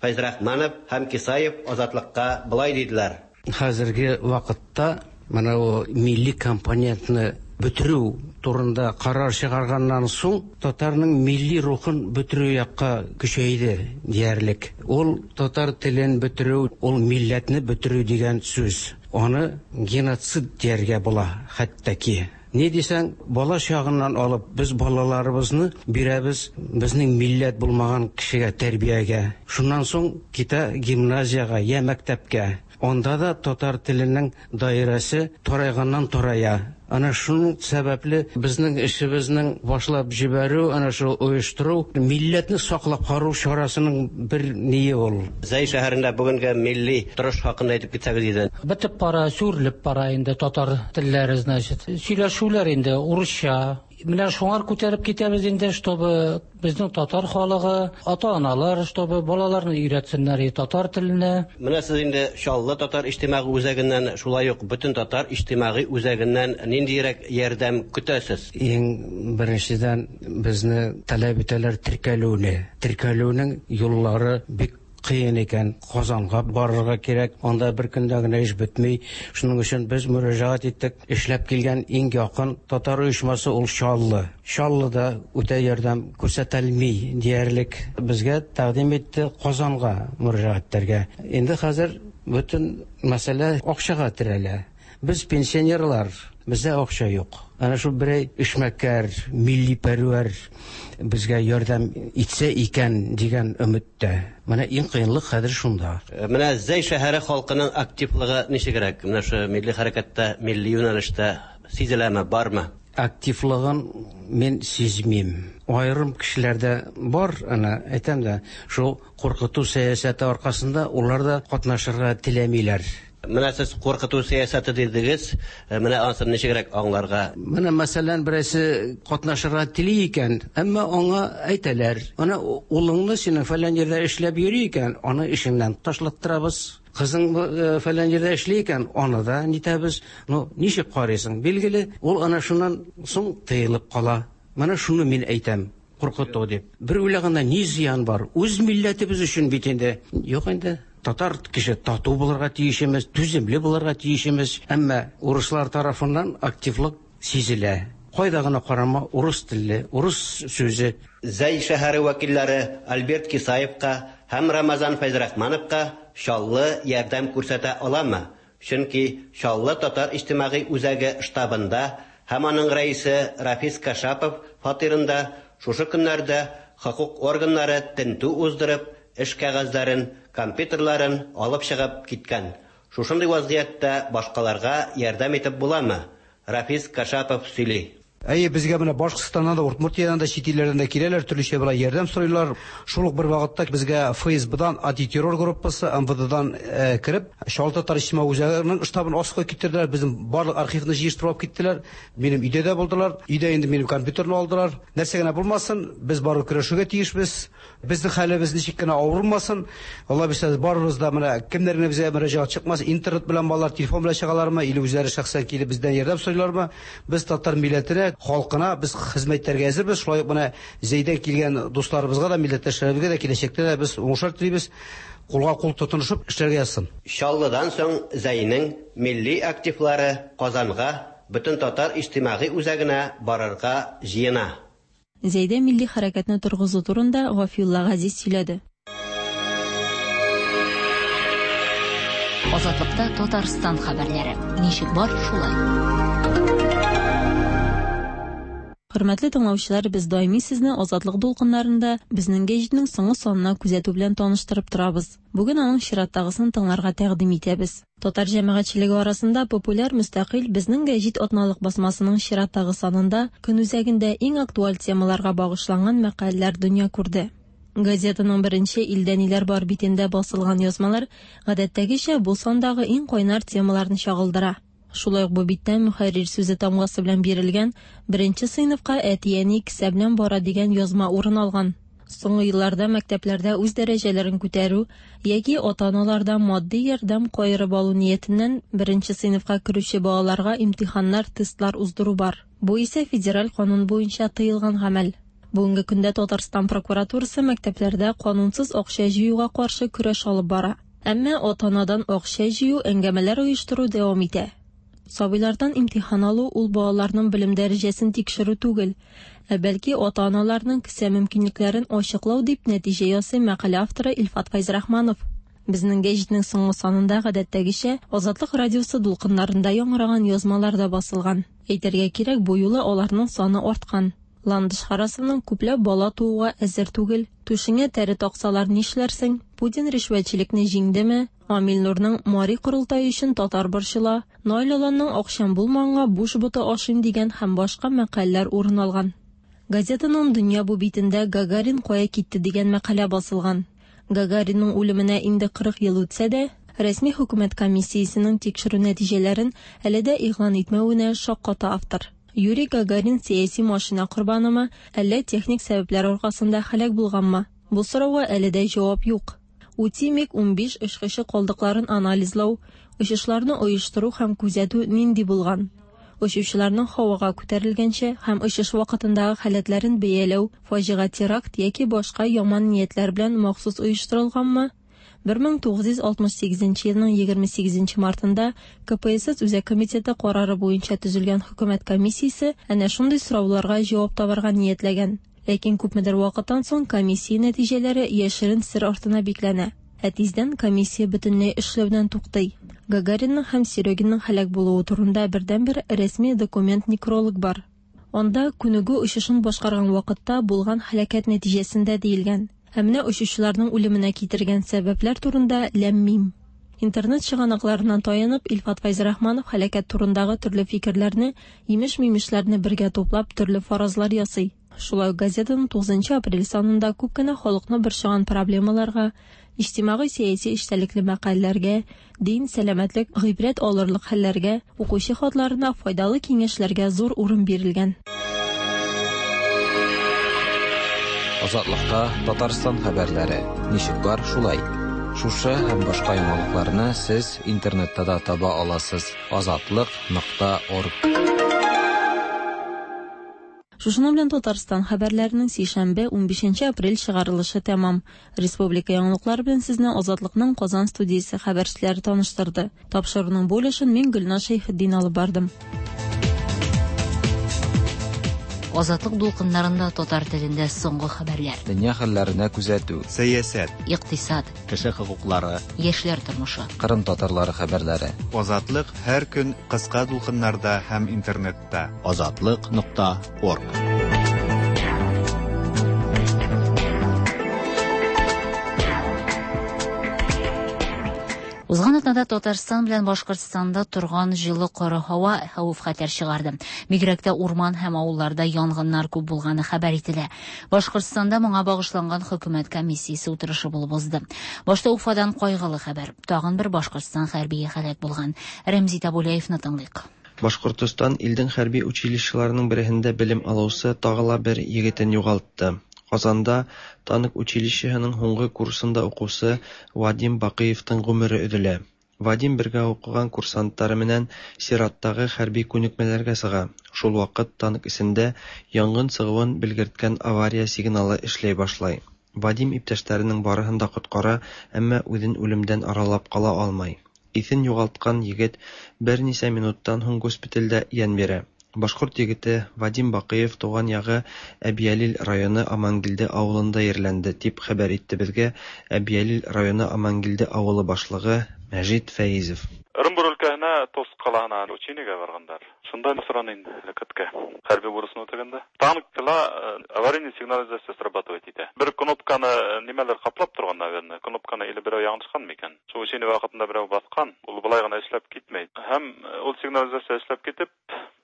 Фәйзрахманов һәм Кисаев Азатлыкка былай диделәр. Хәзерге вакытта менә ул милли компонентны бетерү турында карар чыгарганнан соң татарның милли рухын бетерү якка көчәйде диярлек. Ул татар телен бетерү, ул милләтне бетерү дигән сүз. Аны геноцид дияргә була хәтта ки. Ни дисәң, бала чагыннан алып без балаларыбызны бирәбез безнең милләт булмаган кешегә тәрбиягә. Шуннан соң китә гимназиягә я мәктәпкә. Анда да татар теленең даирәсе тарайганнан тарая. Ана шуның сәбәпле безнең эшебезнең башлап җибәрү, ана шул оештыру, милләтне саклап калу чарасының бер ние ул. Зәй шәһәрендә бүгенге милли торыш хакында әйтеп китсәгез иде. Бетеп бара, сүрелеп бара инде татар телләре, значит. Сөйләшүләр инде урысча. Менә шуңар күтәреп китәбез инде, чтобы безнең татар халыгы, ата-аналар, чтобы балаларны өйрәтсеннәр татар теленә. Менә сез инде Чаллы татар иҗтимагый үзәгеннән, шулай ук бөтен татар иҗтимагый үзәгеннән ниндирәк ярдәм көтәсез? Иң беренчедән безне таләп итәләр теркәлүне. Теркәлүнең юллары бик кыен икән. Казанга барырга кирәк, анда бер көндә генә эш бетми. Шуның өчен без мөрәҗәгать иттек. Эшләп килгән иң якын татар оешмасы ул Чаллы. Чаллыда үтә ярдәм күрсәтелми диярлек. Безгә тәкъдим итте Казанга мөрәҗәгать итәргә. Инде хәзер бөтен мәсьәлә акчага терәлә. Без пенсионерлар, бездә акча юк. Ана шул берәй эшмәкәр, милли пәрвәр безгә ярдәм итсә икән дигән өметтә. Менә иң кыенлык хәзер шунда. Менә Зәй шәһәре халкының активлыгы ничегрәк? Менә шу милли хәрәкәттә, милли юнәлештә сизеләме, бармы? Активлыгын мин сизмим. Айрым кешеләрдә бар, ана әйтәм дә, шул куркыту сәясәте аркасында улар да катнашырга теләмиләр. Менә сез куркыту сәясәте дидегез, менә анысын ничегрәк аңларга? Менә мәсәлән, берәрсе катнашырга тели икән, әмма аңа әйтәләр, ана улыңны синең фәлән җирдә эшләп йөри икән, аны эшеңнән ташлаттырабыз. Кызың фәлән җирдә эшли икән, аны да нитәбез. Ну, ничек карыйсың? Билгеле, ул ана шуннан соң тыелып кала. Менә шуны мин әйтәм. Куркыту дип. Бер уйлаганда ни зыян бар? Үз милләтебез өчен бит инде. Юк инде. Татар кеше тату булырга тиешемез, түземле булырга тиешемез. Әмма урыслар тарафыннан активлык сизелә. Кайда гына карама, урыс телле, урыс сүзе. Зәй шәһәре вәкилләре Альберт Кисаевка һәм Рамазан Фәйзрахмановка Чаллы ярдәм күрсәтә аламы? Чөнки Чаллы татар иҗтимагый үзәге штабында һәм аның рәисе Рафис Кашапов фатирында шушы көннәрдә хокук органнары тентү уздырып, эш кәгазьләрен, компьютерларын алып чыгып киткән. Шушындый вазгыятьтә башкаларга ярдәм итеп буламы? Рафис Кашапов сөйли. Әйе, безгә менә Башкортстаннан да, Удмуртиядан да, чит илләрдән дә киләләр, төрлечә болай ярдәм сорыйлар. Шул ук бер вакытта безгә Эф Эс Б-дан антитеррор группасы Эм Вэ Дэ-дан кереп, Чаллы татар иҗтимагый үзәгенең штабын асып киттеләр, безнең барлык архивны җыештырып алып киттеләр. Минем өйдә дә булдылар, өйдә инде минем компьютерны алдылар. Нәрсә генә булмасын, без барып көрәшергә тиешбез. Безнең хәлебез ничек кенә авыр булмасын, Алла бирсә, барыбыз да менә кемнәр генә безгә мөрәҗәгать чыкмас, интернет белән балалар телефон белән чыгалармы, или үзләре шәхсән килеп бездән ярдәм сорыйлармы? Без татар милләтенә, халкына без хезмәт итәргә әзербез. Шулай ук менә Зәйдән килгән дусларыбызга да, милләттәшләребезгә дә киләчәктә дә без уңышлар телибез. Кулга кул тотынышып эшләргә язсын. Чаллыдан соң Зәйнең милли активлары Казанга, бөтен татар иҗтимагый үзәгенә барырга җыена. Зәйдә милли хәрәкәтне торгызу турында Гафиулла Газиз сөйләде. Азатлыкта Татарстан хәбәрләре. Ничек бар, шулай. Хөрмәтле тыңлаучылар, без даими сезне Азатлык дулкыннарында безнең гәҗитнең соңгы санына күзәтү белән таныштырып торабыз. Бүген аның чираттагысын тыңларга тәкъдим итәбез. Татар җәмәгатьчелеге арасында популяр мөстәкыйль безнең гәҗит атналык басмасының чираттагы санында көн үзәгендә иң актуаль темаларга багышланган мәкаләләр дөнья күрде. Газетаның беренче илдә ниләр бар битендә басылган язмалар гадәттәгечә бу сандагы иң кайнар темаларны чагылдыра. Шулай ук бу биттә мөхәррир сүзе тамгасы белән бирелгән беренче сыйныфка әти-әни кесә белән бара дигән язма урын алган. Соңгы елларда мәктәпләрдә үз дәрәҗәләрен күтәрү яки ата-аналардан матди ярдәм каерып алу ниятеннән беренче сыйныфка керүче балаларга имтиханнар, тестлар уздыру бар. Бу исә федераль канун буенча тыелган гамәл. Бүгенге көндә Татарстан прокуратурасы мәктәпләрдә канунсыз акча җыюга каршы көрәш алып бара. Әмма ата-анадан акча җыю, әңгәмәләр оештыру дәвам итә. Сабыйлардан имтихан алу ул балаларның белем дәрәҗәсен тикшерү түгел, ә бәлки ата-аналарның кесә мөмкинлекләрен ачыклау дип нәтиҗә ясый мәкалә авторы Илфат Фәйзрахманов. Безнең гәҗитнең соңгы санында гадәттәгечә Азатлык радиосы дулкыннарында яңгыраган язмалар да басылган. Әйтергә кирәк, бу юлы аларның саны арткан. Ландыш Харасовның күпләп бала тууга әзер түгел, түшеңә тәре таксалар нишләрсең, Путин ришвәтчелекне җиңдеме, Амил Нурның Мари корылтае өчен татар борчыла, Наил Аланның акчам булмаганга буш боты ашыйм дигән һәм башка мәкаләләр урын алган. Газетаның Дөнья бу битендә Гагарин кая китте дигән мәкалә басылган. Гагаринның үлеменә инде кырык ел үтсә дә, рәсми хөкүмәт комиссиясенең тикшерү нәтиҗәләрен әле дә игълан итмәвенә шакката автор. Юрий Гагарин сәяси машина корбанымы, әллә техник сәбәпләр аркасында һәлак булганмы? Бу сорауга әле дә җавап юк. Ути МиГ унбиш очкычы калдыкларын анализлау, очышларны оештыру һәм күзәтү нинди булган? Очучыларның һавага күтәрелгәнче һәм очыш вакытындагы халәтләрен бәяләү фаҗига, теракт яки башка яман ниятләр белән махсус оештырылганмы? бер мең тугыз йөз алтмыш сигезенче елның егерме сигезенче мартында К П С С Үзәк комитеты карары буенча төзелгән хөкүмәт комиссиясе әнә шундый сорауларга җавап табарга ниятләгән. Ләкин күпмедер вакыттан соң комиссия нәтиҗәләре яшерен сер артына бикләнә. Ә тиздән комиссия бөтенләй эшләүдән туктый. Гагаринның һәм Серегинның һәлак булуы турында бердәнбер рәсми документ некролог бар. Анда күнегү очышын башкарган вакытта булган һәлакәт нәтиҗәсендә диелгән. Ә менә очучыларның үлеменә китергән сәбәпләр турында ләм-мим. Интернет чыганакларыннан таянып, Илфат Фәйзрахманов һәлакәт турындагы төрле фикерләрне, имеш-мимешләрне бергә туплап, төрле фаразлар ясый. Шулай ук газетаның тугызынчы апрель санында күп кенә халыкны борчыган проблемаларга, иҗтимагый сәяси эчтәлекле мәкаләләргә, дин, сәламәтлек, гыйбрәт алырлык хәлләргә, укучы хатларына файдалы киңәшләргә зур урын бирелгән. Азатлыкта Татарстан хәбәрләре. Ничек бар, шулай. Шушы һәм башка яңалыкларны сез интернетта да таба аласыз. Азатлык нокта орг. Шушының белән Татарстан хәбәрләренең сишәмбе унбишенче апрель чыгарылышы тәмам. Республика яңалыклары белән сезне Азатлыкның Казан студиясе хәбәрчеләре таныштырды. Тапшыруның бу өлешен мин Гөлназ Шәйхетдин алып бардым. Азатлык дулкыннарында татар телендә соңгы хәбәрләр. Дөнья хәлләренә күзәтү, сәясәт, икътисад, кеше хокуклары, яшьләр тормышы, Кырым татарлары хәбәрләре. Азатлык һәр көн кыска дулкыннарда һәм интернетта. Азатлык нокта орг. Узган атнада Татарстан белән Башкортстанда торган җылы коры һава хәвеф-хәтәр чыгарды. Бигрәк тә урман һәм авылларда янгыннар күп булганы хәбәр ителә. Башкортстанда моңа багышланган хөкүмәт комиссиясе утырышы булып узды. Башта Уфадан кайгылы хәбәр. Тагын бер Башкортстан хәрбие һәлак булган. Рәмзи Табулаевны тыңлыйк. Башкортстан илдең хәрби училищеларының береһендә белем алучы тагы ла бер егетен югалтты. Казанда танк училищеһының һуңгы курсында укучы Вадим Бакыевтың гомере өзелә. Вадим бергә укыган курсантлары менән сираттагы хәрби күнекмәләргә чыга. Шул вакыт танк эчендә янгын чыгуын белгерткән авария сигналы эшләй башлай. Вадим иптәшләренең барыһын да коткара, әмма үзен үлемдән аралап кала алмай. Исен югалткан егет берничә минуттан һуң госпитальдә ян бирә. Башкорт егете Вадим Бакыев туган ягы Әбиялил районы Амангилде авылында ерләнде, дип хәбәр итте безгә Әбиялил районы Амангилде авылы башлыгы Мәҗит Фәизов. Ырымбур өлкәһенә Тос калаһына учениега баргандар. Шунда соран инде һәлакәткә. Хәрби бурысын үтәгәндә танкла аварийный сигнализация срабатывать итә. Бер кнопканы нимәләр каплап торган, наверное, кнопканы или берәү яңгышкан микән? Шул учение вакытында берәү баскан, ул болай гына эшләп китмәй. Һәм ул сигнализация эшләп китеп,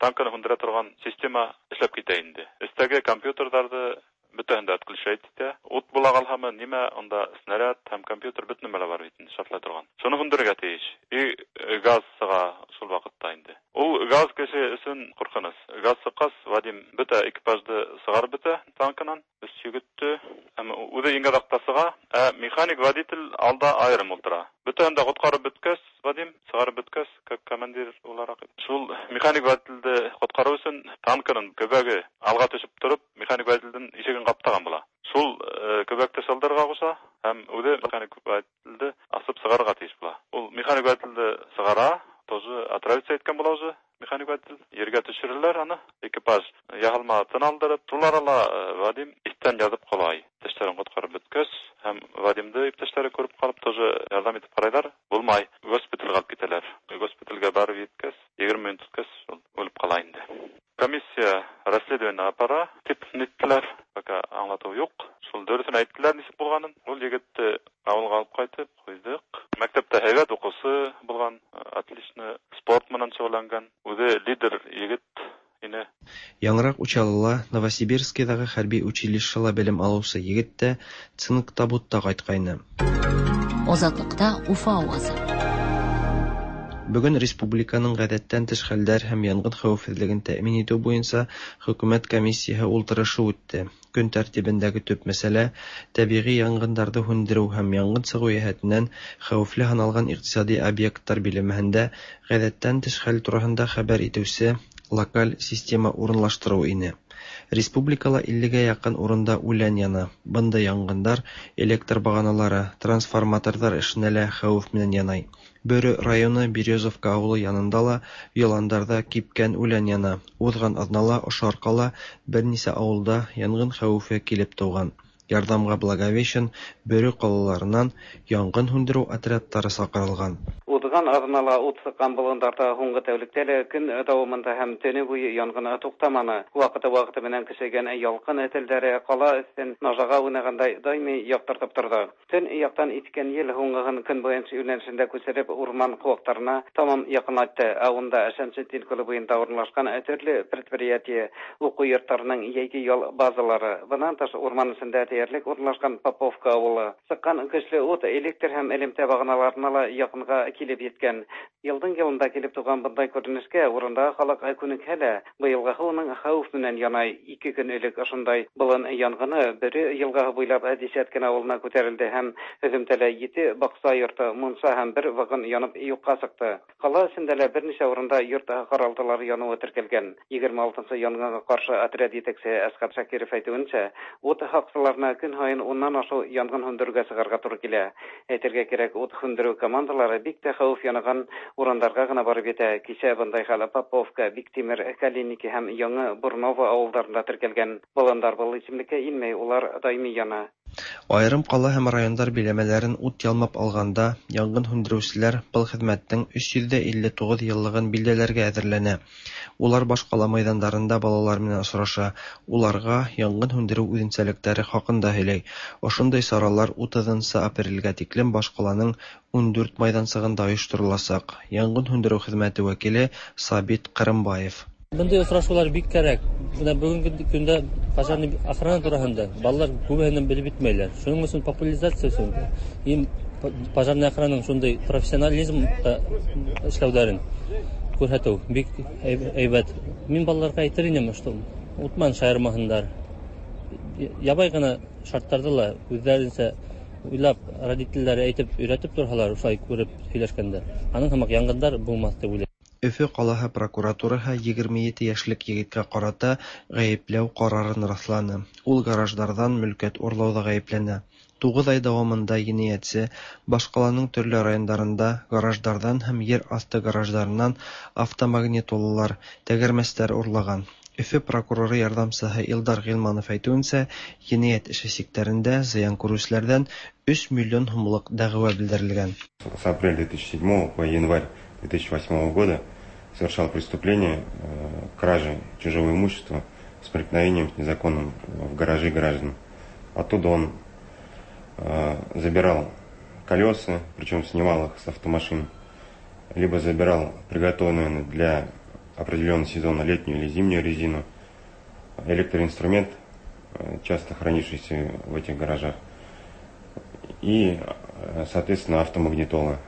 танкны һүндерә торган система эшләп китә инде. Өстәге компьютерларда Бөтәһен дә отключать итә. Ут була калһамы, нимә, анда снаряд һәм компьютер бөтен нәмәләр бар бит инде, шартлай торган. Шуны һүндерергә тиеш. И газ сыга шул вакытта инде. Ул газ кеше өчен куркыныч. Газ сыккач, Вадим бөтә экипажды сыгарып бөтә танкынан. Өч егетте, әмма үзе иң азакта сыга, ә механик водитель алда аерым утыра. Бөтәһен дә коткарып беткәч, Вадим сыгарып беткәч, как командир буларак, шул механик водительде коткару өчен танкының көбәге алга төшеп торып, механик водительдең ишеген каптаган була. Шул көбәкте шылдырга куша һәм үзе механик водительде асып сыгарга тиеш була. Ул механик водительде сыгара, тоже отравиться иткән була уже механик водитель. Ергә төшерәләр аны. Экипаж яһалма тын алдырып, шулар ала Вадим иттән язып калай. Иптәшләрен коткарып беткәч, һәм Вадимды иптәшләре күреп калып, тоже ярдәм итеп карайлар. Булмай, госпитальгә алып китәләр. Госпитальгә барып җиткәч, егерме минут үткәч, ул үлеп кала инде. Комиссия расследование апара дип ниттеләр. Пока аңлату юк. Шул дөресен әйттеләр ничек булганын. Ул егетте авылга алып кайтып куйдык. Мәктәптә һәйбәт укучы булган, отлично спорт менән шөгыльләнгән. Үзе лидер егет ине. Яңрак Учалыла Новосибирскийдагы хәрби училищеда белем алучы егет тә цинк табутта кайткайны. Азатлыкта Уфа авазы. Бүген республиканың гадәттән тыш хәлләр һәм янгын хәвефсезлеген тәэмин итү буенча хөкүмәт комиссияһы ултырышы үтте. Көн тәртибендәге төп мәсьәлә табигый янгыннарны һүндерү һәм янгын чыгу җәһәтеннән хәвефле һаналган икътисади объектлар биләмәһендә гадәттән тыш хәл турында хәбәр итүче локаль система урынлаштыру ине. Республикала иллегә якын урында үлән яна. Бында янгындар электр баганалары, трансформаторлар эшенә лә хәвеф менән янай. Бөрө районы Березовка авылы янында ла яландарда кипкән үлән яна. Узган аҙнала ошо арҡала бер нисә ауылда янгын хәүефе килеп тыуған. Ярҙамға Благовещен, Бөрө ҡалаларынан янгын һүндереү отрядтары саҡырылған. Уҙған аҙнала ут сыҡҡан болондарҙа һуңғы тәүлектә лә көн дауамында һәм төнө буйы янгын туҡтаманы. Ваҡыты-ваҡыты менән көсәйгән ялҡын телдәре ҡала өҫтөн нажаға уйнағандай даими яҡтыртып торҙо. Төн яҡтан иҫкән ел һуңғыһын көнбайыш йүнәлешендә күсереп урман ҡыуаҡтарына тамам яҡынайтты. Ә унда Шәмсетдин күле буйында урынлашҡан төрлө предприятие, уҡыу йорттарының йәйге ял базалары, бынан тыш урман эсендә тиерлек урынлашҡан Поповка ауылы. Сыҡҡан көслө ут электр һәм элемтә бағаналарына ла яҡынға килеп еткән. Йылдың йылында килеп туған бындай күренешкә урындағы халыҡ күнекһә лә, быйылғыһы уның хәүеф менән янай. Ике көн элек ошондай болон янгыны Бөрө йылғаһы буйлап Десяткин ауылына күтәрелде һәм һөҙөмтәлә ете баҡса йорто, мунса һәм бер вагон янып юҡҡа сыҡты. Ҡала эсендә лә бер нисә урында йорт ҡаралтылары яныуы теркәлгән. Егерме алтынсы янгынға ҡаршы отряд етәксеһе Әсҡәт Шакиров әйтеүенсә, ут һаҡсыларына көн һайын уннан ашыу янгын һүндереүгә сығырға тура килә. Әйтергә кәрәк, ут һүндереү командалары бик тә хәүеф янаған урындарға ғына барып етә. Кисә бындай хәл Поповка, Биктимер, Калиники һәм Яңы Бурново ауылдарында теркәлгән. Болондар был исемлеккә инмәй, улар даими яна. Айырым ҡала һәм райондар биләмәләрен ут ялмап алғанда янгын һүндереүселәр был хеҙмәттең өс йөҙ илле туғыҙ йыллығын билдәләргә әҙерләнә. Улар баш ҡала майҙандарында балалар менән осраша, уларға янгын һүндереү үҙенсәлектәре хаҡында һөйләй. Ошондай саралар утыҙынсы апрелгә тиклем баш ҡаланың ун дүрт майҙансығында ойоштороласаҡ. Янгын һүндереү хеҙмәте вәкиле Сабит Ҡырымбаев. Бындай осрашыулар бик кәрәк. Бына бөгөнгө көндә пожарный охрана тураһында балалар күбеһенән белеп бөтмәйләр. Шуның өсөн популяризация өсөн им пожарный охрананың шундай профессионализм эшләүҙәрен күрһәтеү бик әйбәт. Мин балаларға әйтер инем, что утман шайырмаһындар. Ябай ғына шарттарҙы ла үҙҙәренсә уйлап, родителдәре әйтеп өйрәтеп торһалар, шулай күреп һөйләшкәндә, аның һымаҡ янгындар булмаҫ тип уйлайым. Өфө ҡалаһы прокуратураһы егерме ете йәшлек егеткә ҡарата ғәйепләү ҡарарын раҫланы. Ул гараждарҙан мөлкәт урлауҙа ғәйепләнә. Туғыҙ ай дауамында енәйәтсе баш ҡаланың төрлө райондарында гараждарҙан һәм ер аҫты гараждарынан автомагнитолалар, тәгәрмәстәр урлаған. Өфө прокуроры ярҙамсыһы Илдар Ғилманов әйтеүенсә, енәйәт эше сиктәрендә зыян күреүселәрҙән өс миллион һумлыҡ дәғүә белдерелгән. С апреля две тысячи седьмого по январь две тысячи восьмого года совершал преступление кражи чужого имущества с проникновением незаконным в гаражи граждан. Оттуда он забирал колеса, причем снимал их с автомашин, либо забирал приготовленную для определенного сезона летнюю или зимнюю резину, электроинструмент, часто хранившиеся в этих гаражах, и, соответственно, автомагнитолы.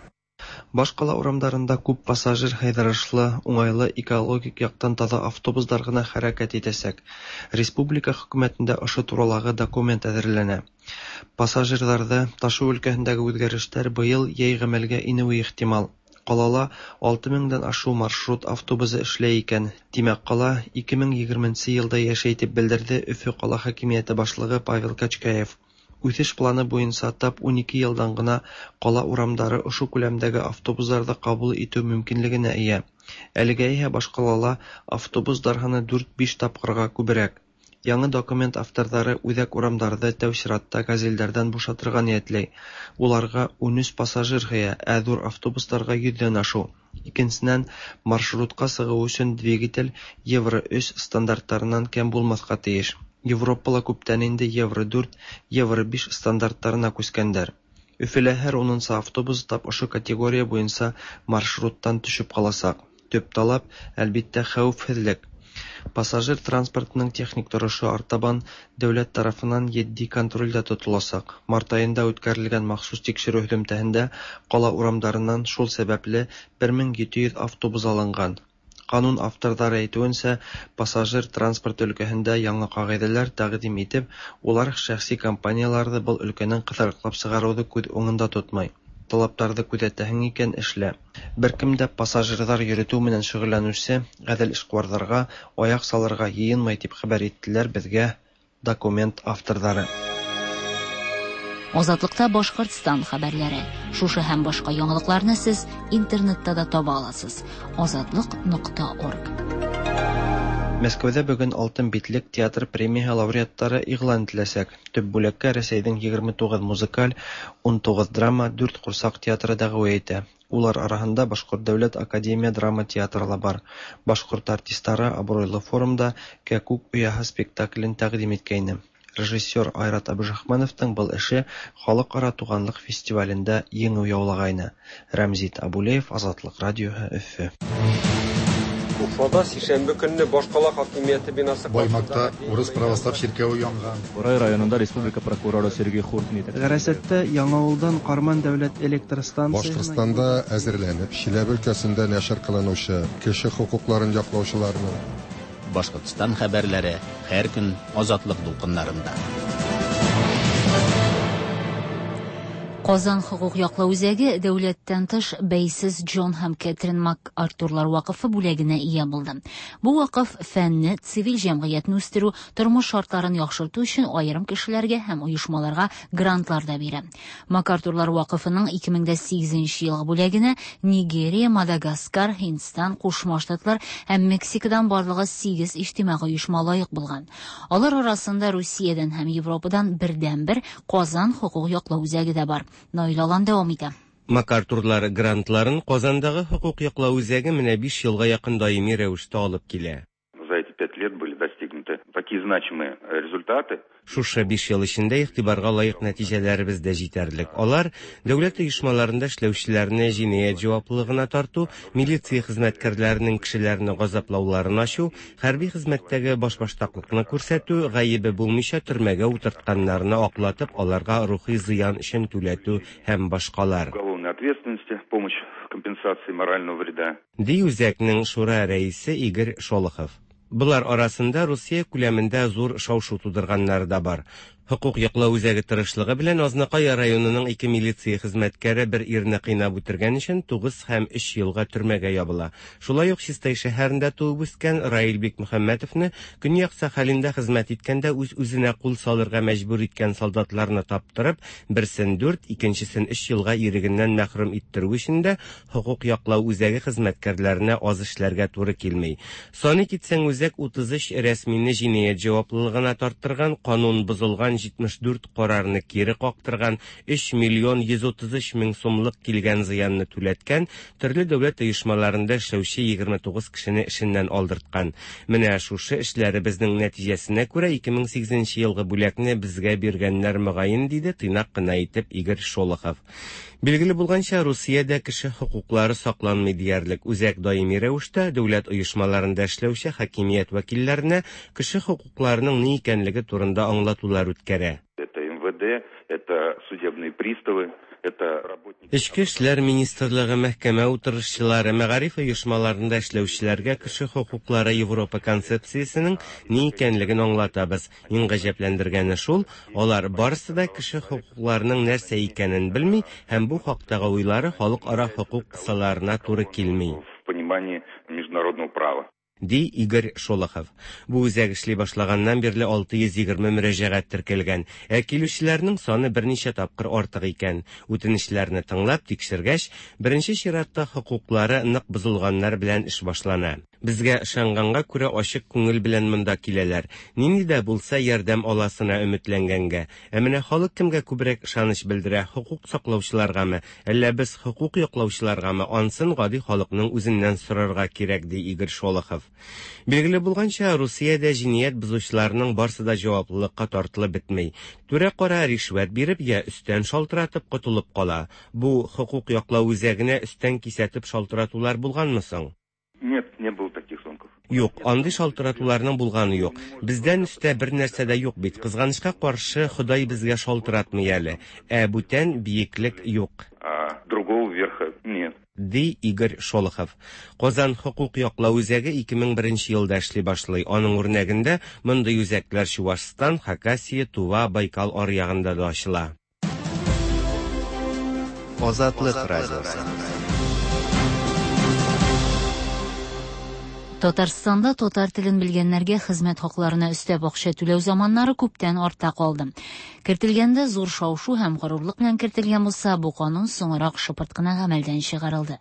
Башкала урамдарында күп пассажир һыйҙырышлы, уңайлы экологик яктан таҙа автобустар ғына хәрәкәт итәсәк. Республика хөкүмәтендә ошо туралағы документ әҙерләнә. Пассажирҙарҙы ташыу өлкәһендәге үҙгәрештәр быйыл йәй ғәмәлгә инеүе ихтимал. Ҡалала алты меңдән ашыу маршрут автобусы эшләй икән. Тимәк, ҡала ике мең егерменсе йылда йәшәй, тип белдерҙе Өфө ҡала хакимиәте башлығы Павел Качкаев. Үҫеш планы буйынса тап ун ике йылдан ғына ҡала урамдары ошо күләмдәге автобустарҙы ҡабул итеү мөмкинлегенә эйә. Әлегә иһә баш ҡалала автобустар һаны дүрт-биш тапҡырға күберәк. Яңы документ авторҙары үҙәк урамдарҙы тәү сиратта газелдәрҙән бушатырға ниәтләй. Уларға ун өс пассажир һыя, ә ҙур автобустарға йөҙҙән ашыу. Икенсенән, маршрутҡа сығыу өсөн двигатель Евро өс стандарттарынан кәм булмаҫҡа тейеш. Европала күптән инде Евро дүрт, Евро биш стандарттарына күскәндәр. Өфөлә һәр унынсы автобус тап ошо категория буйынса маршруттан төшөп ҡаласаҡ. Төп талап, әлбиттә, хәүефһеҙлек. Пассажир транспортының техник торошо артабан дәүләт тарафынан етди контролдә тотоласаҡ. Март айында үткәрелгән махсус тикшереү һөҙөмтәһендә ҡала урамдарынан шул сәбәпле бер мең ете йөҙ автобус алынған. Ҡанун авторҙары әйтеүенсә, пассажир транспорт өлкәһендә яңы ҡағиҙәләр тәҡдим итеп, улар шәхси компанияларҙы был өлкәнән ҡыҫырыҡлап сығарыуҙы күҙ уңында тотмай. Талаптарҙы күҙәтәһең икән, эшлә. Бер кем дә пассажирҙар йөрөтөү менән шөғөлләнеүсе ғәҙел эшҡыуарҙарға аяҡ салырға йыйынмай, тип хәбәр иттеләр беҙгә документ авторҙары. Азатлыкта Башкортстан хәбәрләре. Шушы һәм башка яңалыкларны сез интернетта да таба аласыз. Азатлык нокта орг. Мәскәүҙә бөгөн Алтын битлек театр премияһы лауреаттары иғлан ителәсәк. Төп бүләккә Рәсәйҙең егерме туғыҙ музыкаль, ун туғыҙ драма, дүрт ҡурсаҡ театры дәғүә итә. Улар араһында Башҡорт дәүләт академия драма театры ла бар. Башҡорт артистары абруйлы форумда «Кәкүк ояһы» спектаклен тәҡдим иткәйне. Режиссер Айрат Абдрахмановтың был эше халыҡ-ара туғанлыҡ фестивалендә еңеү яулағайны. Рәмзит Абулеев, Азатлыҡ радиоһы, Өфө. Уфада сишәмбе көнне башҡала хакимиәте бинасы Баймаҡта урыҫ православ ширкәүе янған. Бурай районында республика прокуроры Сергей Хуртин итәксе. Ғәрәсәттә Яңауылдан Ҡарман дәүләт электр станцияһына Башҡортостанда әҙерләнеп, Чиләбе өлкәсендә нәшер ҡылыныусы кеше хоҡуҡларын яҡлаусыларының Башҡортостан хәбәрләре һәр көн Азатлыҡ дулҡындарында. Казан хокук яклау үзәге дәүләттән тыш бәйсез Джон һәм Кэтрин МакАртурлар вакыфы бүләгенә ия булды. Бу вакыф фәнне, цивиль җәмгыятьне үстерү, тормыш шартларын яхшырту өчен аерым кешеләргә һәм оешмаларга грантлар да бирә. МакАртурлар вакыфының ике мең сигеҙенсе елгы бүләгенә Нигерия, Мадагаскар, Һиндстан, Ҡушма Штатлар һәм Мексикадан барлыгы сигеҙ иҗтимагый оешма лаек булган. Алар арасында Русиядән һәм Европадан бердән-бер Казан хокук яклау үзәге дә бар. Наил Алан дәвам итә. МакАртурлар грантларын Казандагы хокук яклау үзәге менә биш елга якын даими рәвештә алып килә. За эти пять лет были достигнуты такие значимые результаты. Шушы биш ел эчендә игътибарга лаек нәтиҗәләребез дә җитәрлек. Алар дәүләт оешмаларында эшләүчеләрне җинаять җаваплылыгына тарту, милиция хезмәткәрләренең кешеләрне газаплауларын ачу, хәрби хезмәттәге башбаштаклыкны күрсәтү, гаебе булмыйча төрмәгә утыртканнарны аклатып, аларга рухи зыян өчен түләтү һәм башкалар. Уголовной ответственности, помощь в компенсации морального вреда. Ди үзәкнең шура рәисе Игорь Шолохов. Булар арасында Русия күләмендә зур шау-шу тудырганнары да бар. Хокук яклау үзәге тырышлыгы белән Азнакай районының ике милиция хезмәткәре бер ирне кыйнап үтергән өчен тугыз һәм өч елга төрмәгә ябыла. Шулай ук Чистай шәһәрендә туып үскән Раил Бикмөхәммәтовны Көньяк Сахалинда хезмәт иткәндә үз-үзенә кул салырга мәҗбүр иткән солдатларны таптырып, берсен дүрт, икенчесен өч елга ирегеннән мәхрүм иттерү өчен дә хокук яклау үзәге хезмәткәрләренә аз эшләргә туры килми. Саны китсәң, үзәк утыз өч рәсмине җинаять җаваплылыгына тарттырган, канун бозылган җитмеш дүрт карарны кире кактырган, өч миллион йөз утыз өч мең сумлык килгән зыянны түләткән, төрле дәүләт оешмаларында эшләүче егерме тугыз кешене эшеннән алдырткан. Менә шушы эшләребезнең нәтиҗәсенә күрә ике мең сигезенче елгы бүләкне безгә биргәннәр мөгаен, диде тыйнак кына итеп Игорь Шолохов. Билгеле булганча, Русиядә кеше хокуклары сакланмый диярлек. Үзәк даими рәвештә дәүләт оешмаларында эшләүче хакимият вәкилләренә кеше хокукларының ни икәнлеге турында аңлатулар үткәрә. Это эм вэ дэ, это судебные приставы, это работники. Эчке эшләр министрлыгы, мәхкәмә утырышчылары, мәгариф оешмаларында эшләүчеләргә кеше хокуклары Европа концепциясенең ни икәнлеген аңлатабыз. Иң гаҗәпләндергәне шул, алар барысы да кеше хокукларының нәрсә икәнен белми һәм бу хактагы уйлары халыкара хокук кысаларына туры килми. В понимании международного права. Ди Игорь Шолохов. Бу үзәк эшли башлаганнан бирле алты йөз егерме мөрәҗәгать теркәлгән, ә килүчеләрнең саны берничә тапкыр артык икән. Үтенечләрне тыңлап тикшергәч, беренче чиратта хокуклары нык бозылганнар белән эш башлана. Безгә ышанганга күрә ачык күңел белән монда киләләр. Нинди дә булса ярдәм аласына өметләнгәнгә. Ә менә халык кемгә күбрәк ышаныч белдерә, хокук саклаучыларгамы, әллә без хокук яклаучыларгамы, ансын гади халыкның үзеннән сорарга кирәк, ди Игорь Шолохов. Билгеле булганча, Русиядә җинаять бозучыларның барсы да җаваплылыкка тартылып бетми. Түрә кара ришвәт биреп я өстән шалтыратып котылып кала. Бу хокук яклау үзәгенә өстән кисәтеп шалтыратулар булганмы соң? Нет, не было таких звонков. Юк, андый шалтыратуларның булганы юк. Бездән өстә бер нәрсә дә юк бит. Кызганычка каршы, Ходай безгә шалтыратмый әле. Ә бүтән биеклек юк. А другого верха нет. Ди Игорь Шолохов. Казан хокук яклау үзәге ике мең беренче елда эшли башлый. Аның үрнәгендә мондый үзәкләр Чувашстан, Хакасия, Тува, Байкал аръягында да ачыла. Азатлык радиосы. Татарстанда татар телен белгәннәргә хезмәт хакларына өстәп акча түләү заманнары күптән артта калды. Кертелгәндә зур шау-шу һәм горурлык белән кертелгән булса, бу канун соңрак шыпырт кына гамәлдән чыгарылды.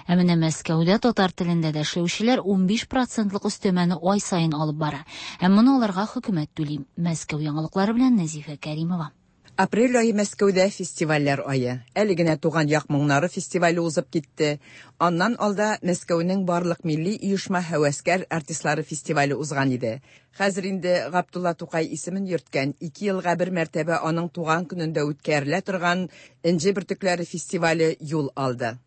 Ә менә Мәскәүдә татар телендә дә эшләүчеләр унбиш процентлык өстәмәне ай саен алып бара. Һәм моны аларга хөкүмәт түли. Мәскәү яңалыклары белән Нәзифә Кәримова. Апрель айы Мәскәүдә фестивальләр айы. Әле генә Туган як моңнары фестивале узып китте. Аннан алда Мәскәүнең барлык милли оешма һәвәскәр артистлары фестивале узган иде. Хәзер инде Габдулла Тукай исемен йөрткән ике елга бер мәртәбә аның туган көнендә үткәрелә торган Энҗе бөртекләре фестивале юл алды.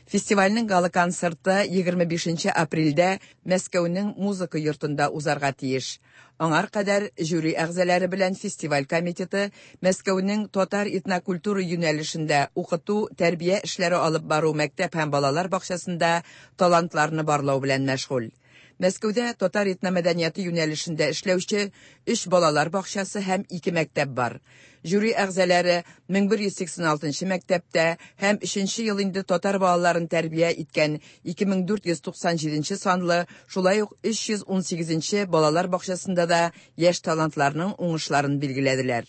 Фестивальнең гала-концерты егерме бишенче апрельдә Мәскәүнең музыка йортында узарга тиеш. Аңар кадәр жюри әгъзалары белән фестиваль комитеты Мәскәүнең татар этнокультура юнәлешендә укыту, тәрбия эшләре алып бару мәктәп һәм балалар бакчасында талантларны барлау белән мәшгуль. Мәскәүдә татар этномәдәнияте юнәлешендә эшләүче өч балалар бакчасы һәм ике мәктәп бар. Жюри әгъзалары мең бер йөз сиксән алтынчы мәктәптә һәм өченче ел инде татар балаларын тәрбия иткән ике мең дүрт йөз туксан җиденче санлы, шулай ук өч йөз ун сигезенче балалар бакчасында да яшь талантларның уңышларын билгеләделәр.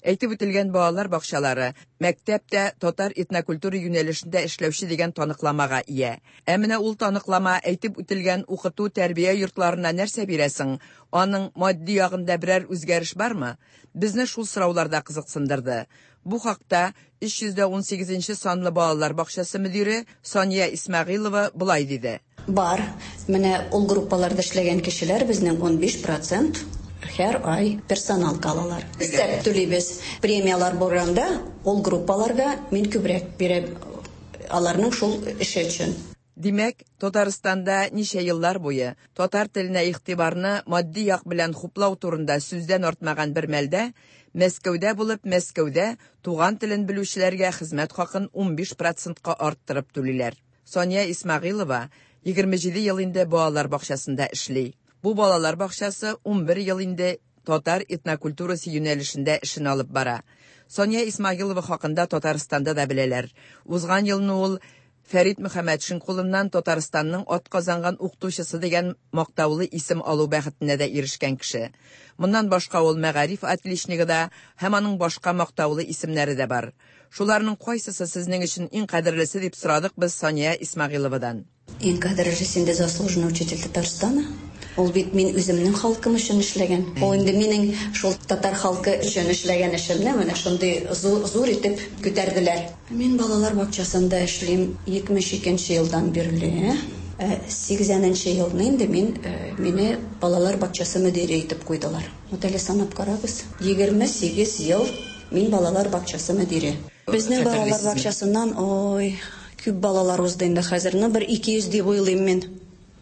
Әйтеп үтелгән балалар бакчалары мәктәптә татар этнокультура юнәлешендә эшләүче дигән таныкламага ия. Ә менә ул таныклама әйтеп үтелгән укыту тәрбия йортларына нәрсә бирәсең? Аның матди ягында берәр үзгәреш бармы? Безне шул сораулар да кызыксындырды. Бу хакта өч йөз дә ун сигезенче санлы балалар бакчасы мөдире Сания Исмәгыйлова болай диде. Бар. Менә ул группаларда эшләгән кешеләр безнең унбиш процент һәр ай персонал калалар. Өстәп түлибез. Премиялар булганда ул группаларга мин күбрәк бирәм аларның шул эше өчен. Димәк, Татарстанда ничә еллар буе татар теленә игътибарны матди як белән хуплау турында сүздән артмаган бер мәлдә Мәскәүдә булып, Мәскәүдә туган телен белүчеләргә хезмәт хакын унбиш процентка арттырып түлиләр. Сания Исмәгыйлова егерме җиде ел инде балалар бакчасында эшли. Бу балалар бакчасы унбер ел инде татар этнокультурасы юнәлешендә эшен алып бара. Сания Исмәгыйлова хакында Татарстанда да беләләр. Узган елны ул Фәрит Мөхәммәтшин кулыннан Татарстанның атказанган укытучысы дигән мактаулы исем алу бәхетенә дә ирешкән кеше. Моннан башка ул мәгариф отличнигы да һәм аның башка мактаулы исемнәре дә бар. Шуларның кайсысы сезнең өчен иң кадерлесе дип сорадык без Сания Исмәгыйловадан. Иң кадерлесе инде заслуженный учитель Татарстана. Ул бит мин үземнең халкым өчен эшләгән. Ул инде минең шул татар халкы өчен эшләгән эшемне менә шундый зур, зур итеп күтәрделәр. Мин балалар бакчасында эшлим егерме икенче елдан бирле. Сигезенче елны инде мин мине балалар бакчасы мөдире итеп куйдылар. Вот әле санап карагыз. Егерме сигез ел мин балалар бакчасы мөдире. Безнең балалар бакчасыннан ой, күп балалар узды инде хәзер. Ну, бер ике йөз дип уйлыйм мин.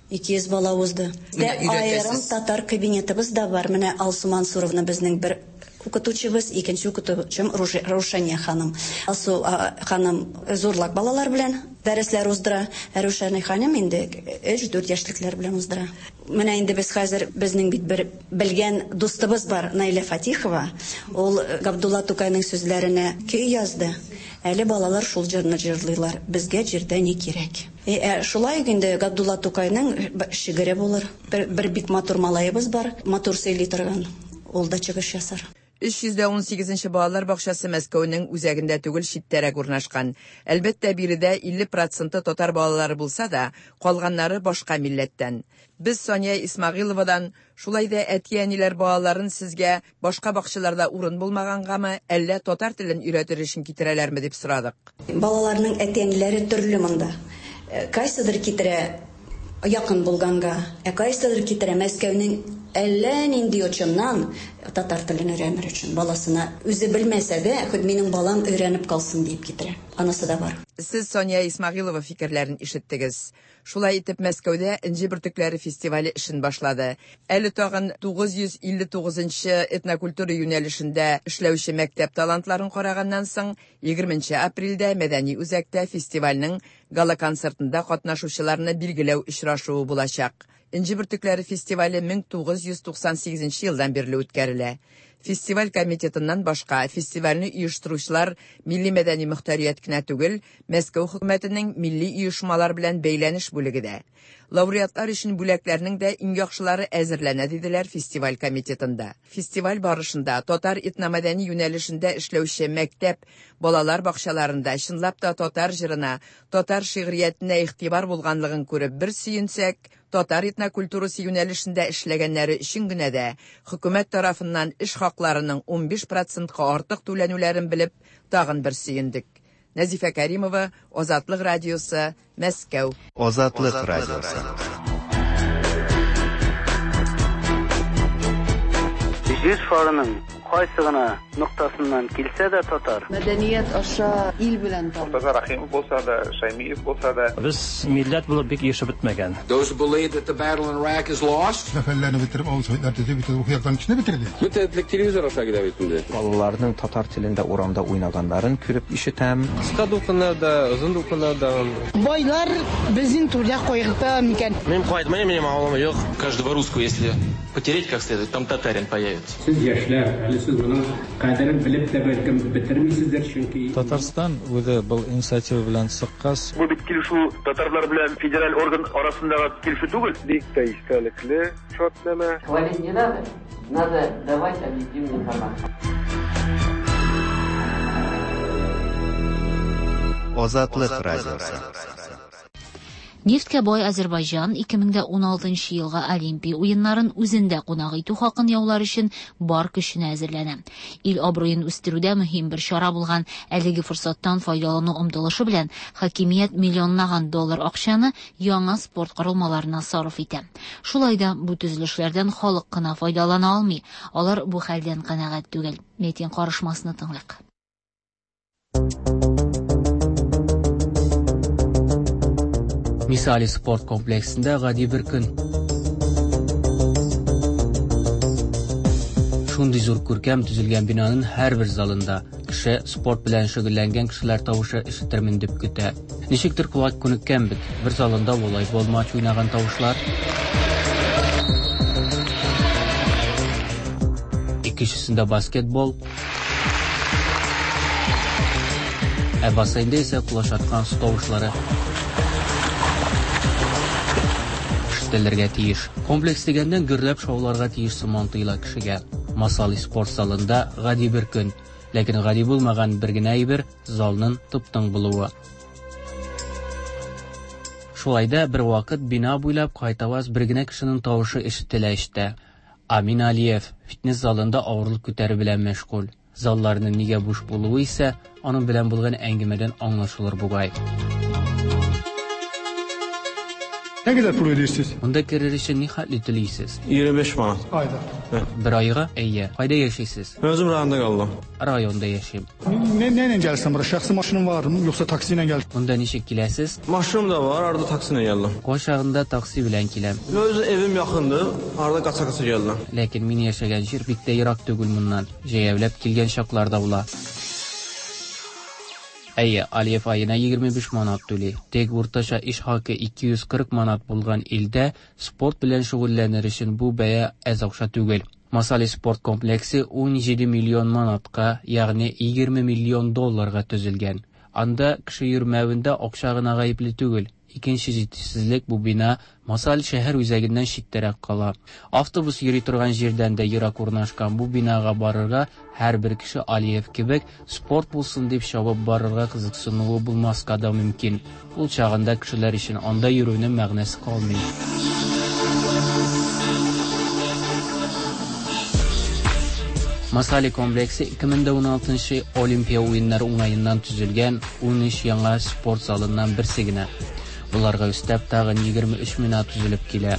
Ике йөз бала узды. Дә аерым татар кабинетыбыз да бар. Менә Алсу Мансуровна безнең бер укытучыбыз, икенче укытучым Рушания ханым. Алсу ханым зурлак балалар белән дәресләр уздыра. Ә Рушания ханым инде өч-дүрт яшьлекләр белән уздыра. Менә инде без хәзер безнең бит бер белгән дустыбыз бар, Наилә Фатихова. Ул Габдулла Тукайның сүзләренә көй язды. Әле балалар шул җырны җырлыйлар. Безгә җирдә ни кирәк? Э, шулай инде Габдулла Тукайның шигыре булыр. Бер, бер бик матур малаебыз бар, матур сөйли торган. Ул да чыгыш ясар. Өч йөз дә унсигезенче балалар бакчасы Мәскәүнең үзәгендә түгел, читтәрәк урнашкан. Әлбәттә, биредә илле проценты татар балалары булса да, калганнары башка милләттән. Без Сания Исмагиловадан шулай да әти-әниләр балаларын сезгә башка бакчаларда урын булмагангамы, әллә татар телен өйрәтер өчен китерәләрме дип сорадык. Балаларның әти-әниләре төрле монда. Кайсыдыр китерә якын булганга, ә кайсыдыр китерә Мәскәүнең әллә нинди очыннан татар телен өйрәнер өчен баласына үзе белмәсә дә, хоть минем балам өйрәнеп калсын дип китерә. Анысы да бар. Сез Сания Исмагилова фикерләрен ишеттегез. Шулай итеп Мәскәүдә Энҗе бөртекләре фестивале эшен башлады. Әле тагын тугыз йөз илле тугызынчы этнокультура юнәлешендә эшләүче мәктәп талантларын караганнан соң, егерменче апрельдә мәдәни үзәктә фестивальнең гала-концертында катнашучыларны билгеләү очрашуы булачак. Энҗе бөртекләре фестивале мең тугыз йөз туксан сигезенче елдан бирле үткәрелә. Фестиваль комитетыннан башка фестивальне оештыручылар милли мәдәни мөхтәрият кенә түгел, Мәскәү хөкүмәтенең милли оешмалар белән бәйләнеш бүлеге дә. Лауреатлар өчен бүләкләрнең дә иң яхшылары әзерләнә диделәр фестиваль комитетында. Фестиваль барышында татар этномәдәни юнәлешендә эшләүче мәктәп, балалар бакчаларында чынлап та татар җырына, татар шигъриятенә игътибар булганлыгын күреп бер сөенсәк, татар этнокультурасы юнәлешендә эшләгәннәре өчен генә дә хөкүмәт тарафыннан эш хакларының унбиш процентка артык түләнүләрен белеп тагын бер сөендек. Нәзифә Кәримова, Азатлык радиосы, Мәскәү. Азатлык радиосы. Җир шарының кайсы гына ноктасыннан килсә дә татар. Мәдәният аша ил белән танып. Мортаза Рахимов булса да, Шаймиев булса да. Без милләт булып бик ешып бетмәгән. Those who believe that the battle in Iraq is lost. Сәфәрләрне бетереп, авыл советлар төзеп, бөтен яктан кешене бетерде. Бөтен телевизор аша килә бит инде. Балаларның татар телендә урамда уйнаганнарын күреп ишетәм. Кыска дулкыннарда, озын дулкыннарда. Байлар безнең түрдә кайгырта микән? Мин кайтмыйм, минем авылым юк. Каждого русского, если потереть как следует, там татарин появится. Сез яшьләр, әле сез моның кадерен белеп тә бәлкем бетермисездер, чөнки Татарстан үзе был инициатива белән чыккач. Бу бит килешү татарлар белән федераль орган арасындагы килешү түгел. Бик тә истәлекле шартнамә. Хвалить не надо, надо давать объективную информацию. Азатлык радиосы. Нефткә бай Азербайҗан ике мең дә уналтынчы елга Олимпия уеннарын үзендә кунак итү хакын яулар өчен бар көченә әзерләнә. Ил абруен үстерүдә мөһим бер чара булган әлеге форсаттан файдалану омтылышы белән хакимият миллионлаган доллар акчаны яңа спорт корылмаларына сарыф итә. Шулай да бу төзелешләрдән халык кына файдалана алмый. Алар бу хәлдән канәгать түгел. Метин карышмасны тыңлыйк. Misali sport kompleksinde гади бер көн. Шундый зур күркәм төзелгән бинаның һәрбер залында кеше спорт белән шөгыльләнгән кешеләр тавышы ишетермен дип көтә. Ничектер колак күнеккән бит. Бер залында волейбол матч уйнаган тавышлар, икенчесендә баскетбол, ә бассейнда исә кулач аткан су тавышлары ишетелергә тиеш. Комплекс дигәннән гөрләп шауларга тиеш сыман тоела кешегә. Масали спорт залында гади бер көн, ләкин гади булмаган бер генә әйбер залның тып-тын булуы. Шулай да бер вакыт бина буйлап кайтаваз бер генә кешенең тавышы ишетелә ишетә. Амин Алиев фитнес залында авырлык күтәрү белән мәшгуль. Залларның нигә буш булуы исә аның белән булган әңгәмәдән аңлашылыр бугай. Nə qədər pul ödəyirsiniz? Монда керер өчен ни хәтле түлисез? егерме биш манат. Ayda. Бер айга? Әйе. Кайда яшисез? Mən özüm rayonda qalıram. Районда яшим. Nə nə ilə gəlirsən bura? Şəxsi maşının varmı, yoxsa taksi ilə gəlirsən? Монда ничек киләсез? Maşınım da var, arada taksi ilə gəldim. Кайчагында такси белән киләм. Öz evim yaxındır, arada qaça-qaça gəldim. Ләкин мин яшәгән җир бик тә ерак түгел моннан. Җәяүләп килгән чаклар да була. Әйе, Алиев аена егерме биш манат түли. Тик уртача эш хакы ике йөз кырык манат булган илдә спорт белән шөгыльләнер өчен бу бәя әз акча түгел. Масали спорт комплексы ун җиде миллион манатка, ягъни егерме миллион долларга төзелгән. Анда кеше йөрмәвендә акча гына гаепле түгел. Икенче җитешсезлек бу бина Масал шәһәр үзәгеннән читтәрәк кала. Автобус йөри торган җирдән дә ерак урнашкан бу бинага барырга һәрбер кеше Алиев кебек спорт булсын дип чабып барырга кызыксынуы булмаска да мөмкин. Ул чагында кешеләр өчен анда йөрүнең мәгънәсе калмый. Масали комплексы ике мең дә уналтынчы Олимпия уеннары уңаеннан төзелгән ун өч яңа спорт залыннан берсе генә. Буларга өстәп тагын егерме өч бина төзелеп килә.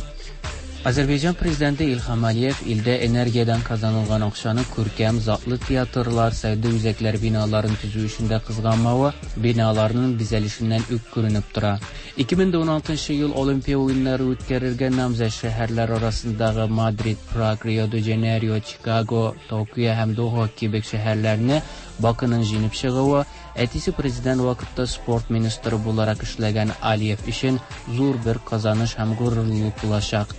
Азәрбайҗан президенты Илһам Алиев илдә энергиядән казанылган акчаны күркәм затлы театрлар, сәүдә үзәкләр биналарын төзү өчен дә кызганмавы биналарның бизәлешеннән үк күренеп тора. ике мең дә уналтынчы ел Олимпия уеннары үткәрергә намзәт шәһәрләр арасындагы Мадрид, Праг, Рио-де-Жанейро, Чикаго, Токио һәм Доха кебек шәһәрләрне Бакының җиңеп чыгуы, әтисе президент вакытта спорт министры буларак эшләгән Алиев өчен зур бер казаныш һәм горурлык булачак.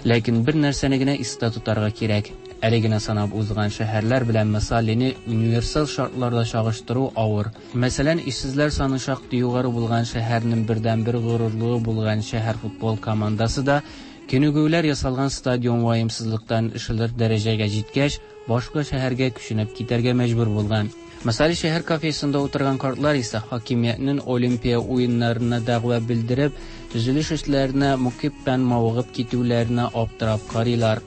Ләкин бер нәрсәне генә истә тотарга кирәк. Әле генә санап узган шәһәрләр белән Масалины универсаль шартларда чагыштыру авыр. Мәсәлән, эшсезләр саны шактый югары булган шәһәрнең бердәнбер горурлыгы булган шәһәр футбол командасы да күнегүләр ясалган стадион ваемсызлыктан ишелер дәрәҗәгә җиткәч, башка шәһәргә күченеп китәргә мәҗбүр булган. Масали шәһәр кафесында утырган картлар исә хакимиятнең Олимпия уеннарына дәгъва белдереп, төзелеш эшләренә мөкиббән мавыгып китүләренә аптырап карыйлар.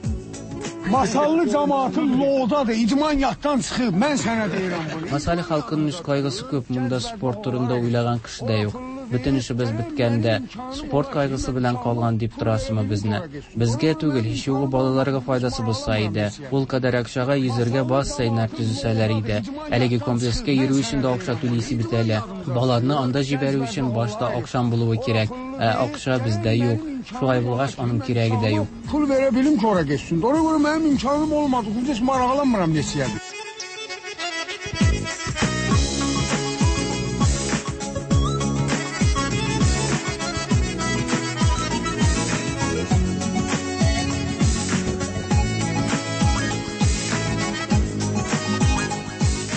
Masallı cemaatı loğdadır, idman yatdan çıxıb, mən sənə deyirəm bunu. Masali xalqının üz кайгысы күп, монда спорт турында уйлаган кеше дә юк. Бөтен эшебез беткәндә, спорт кайгысы белән калган дип торасымы безне? Безгә түгел, һич югы балаларга файдасы булса иде. Ул кадәр акчага йөзергә бассейннар төзесәләр иде. Әлеге комплекска йөрү өчен дә акча түлисе бит әле. Балаларны анда җибәрү өчен башта акчам булуы кирәк. Ә акча бездә юк. Шулай булгач, аның кирәге дә юк. Pul verə bilim ki, ora getsin. Ona görə mənim imkanım olmadı. Heç maraqlanmıram neçəyə.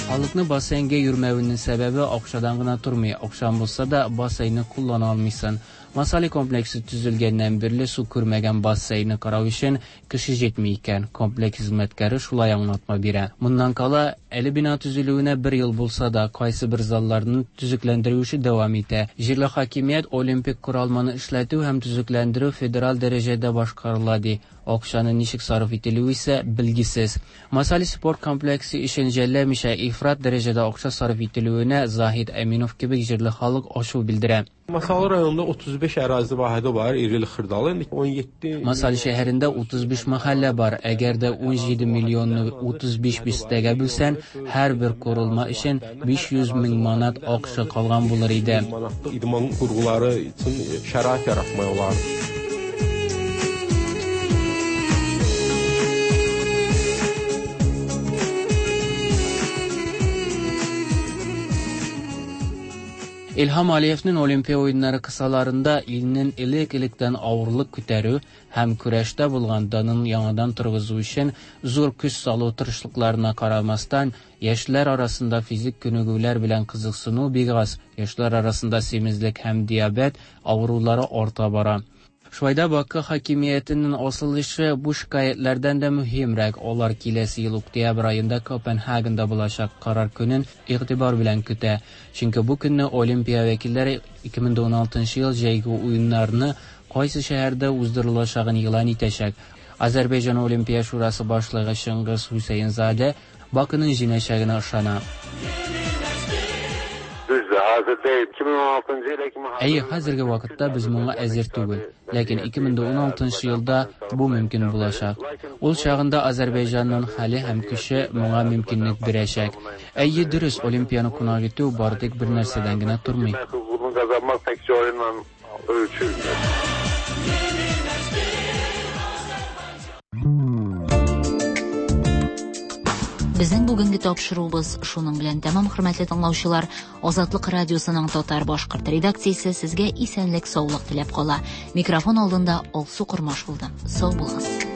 Халыкны бассейнга йөрмәвенең сәбәбе акчадан гына тормый. Акчаң булса да бассейнны куллана алмыйсың. Масали комплексы төзелгәннән бирле су күрмәгән бассейнны карау өчен кеше җитми икән. Комплекс хезмәткәре шулай аңлатма бирә. Моннан кала, әле бина төзелүенә бер ел булса да, кайсы бер залларның төзекләндерү эше дәвам итә. Җирле хакимият олимпик коралманы эшләтү һәм төзекләндерү федераль дәрәҗәдә башкарыла ди. Акчаны ничек сарыф ителүе исә билгесез. Масали спорт комплексы өчен жәлләмичә ифрат дәрәҗәдә акча сарыф ителүенә Заһид Әминов кебек җирле халык ачу белдерә. Masallı rayonunda otuz beş ərazi vahidi var, irili xırdalı. İndi on yeddi Masallı şəhərində otuz beş məhəllə бар. Әгәр дә ун җиде миллионны утыз биш бистәгә бүлсән, һәр бер корылма өчен биш йөз мең манат акча калган булыр иде. Manatlıq idman qurğuları üçün şərait yaratmaq olar. Илһам Алиевның Олимпия уеннары кысаларында илнең элек-электән авырлык күтәрү һәм көрәштә булган данын яңадан торгызу өчен зур көч салу тырышлыкларына карамастан, яшьләр арасында физик күнегүләр белән кызыксыну бик аз. Яшьләр арасында семизлек һәм диабет авырулары арта бара. Шулай да Бакы хакимиятенең асыл эше бу шикаятьләрдән дә мөһимрәк. Алар киләсе ел октябрь аенда Копенгагенда булачак карар көнен игътибар белән көтә. Чөнки бу көнне Олимпия вәкилләре ике мең уналтынчы ел җәйге уеннарны кайсы шәһәрдә уздырылачагын игълан итәчәк. Азәрбайҗан Олимпия шурасы башлыгы Чыңгыз Хусейнзаде Бакының җиңәчәгенә ышана. Әйе, хәзерге вакытта без моңа әзер түгел. Ләкин ике мең уналтынчы елда бу мөмкин булачак. Ул чагында Азәрбайҗанның хәле һәм көче моңа мөмкинлек бирәчәк. Әйе, дөрес, Олимпияны кунак итү бары тик бер нәрсәдән генә тормый. Безнең бүгенге тапшыруыбыз шуның белән тәмам, хөрмәтле тыңлаучылар. Азатлык радиосының татар башкорт редакциясе сезгә исәнлек, саулык теләп кала. Микрофон алдында Алсу Кормаш булды. Сау булыгыз.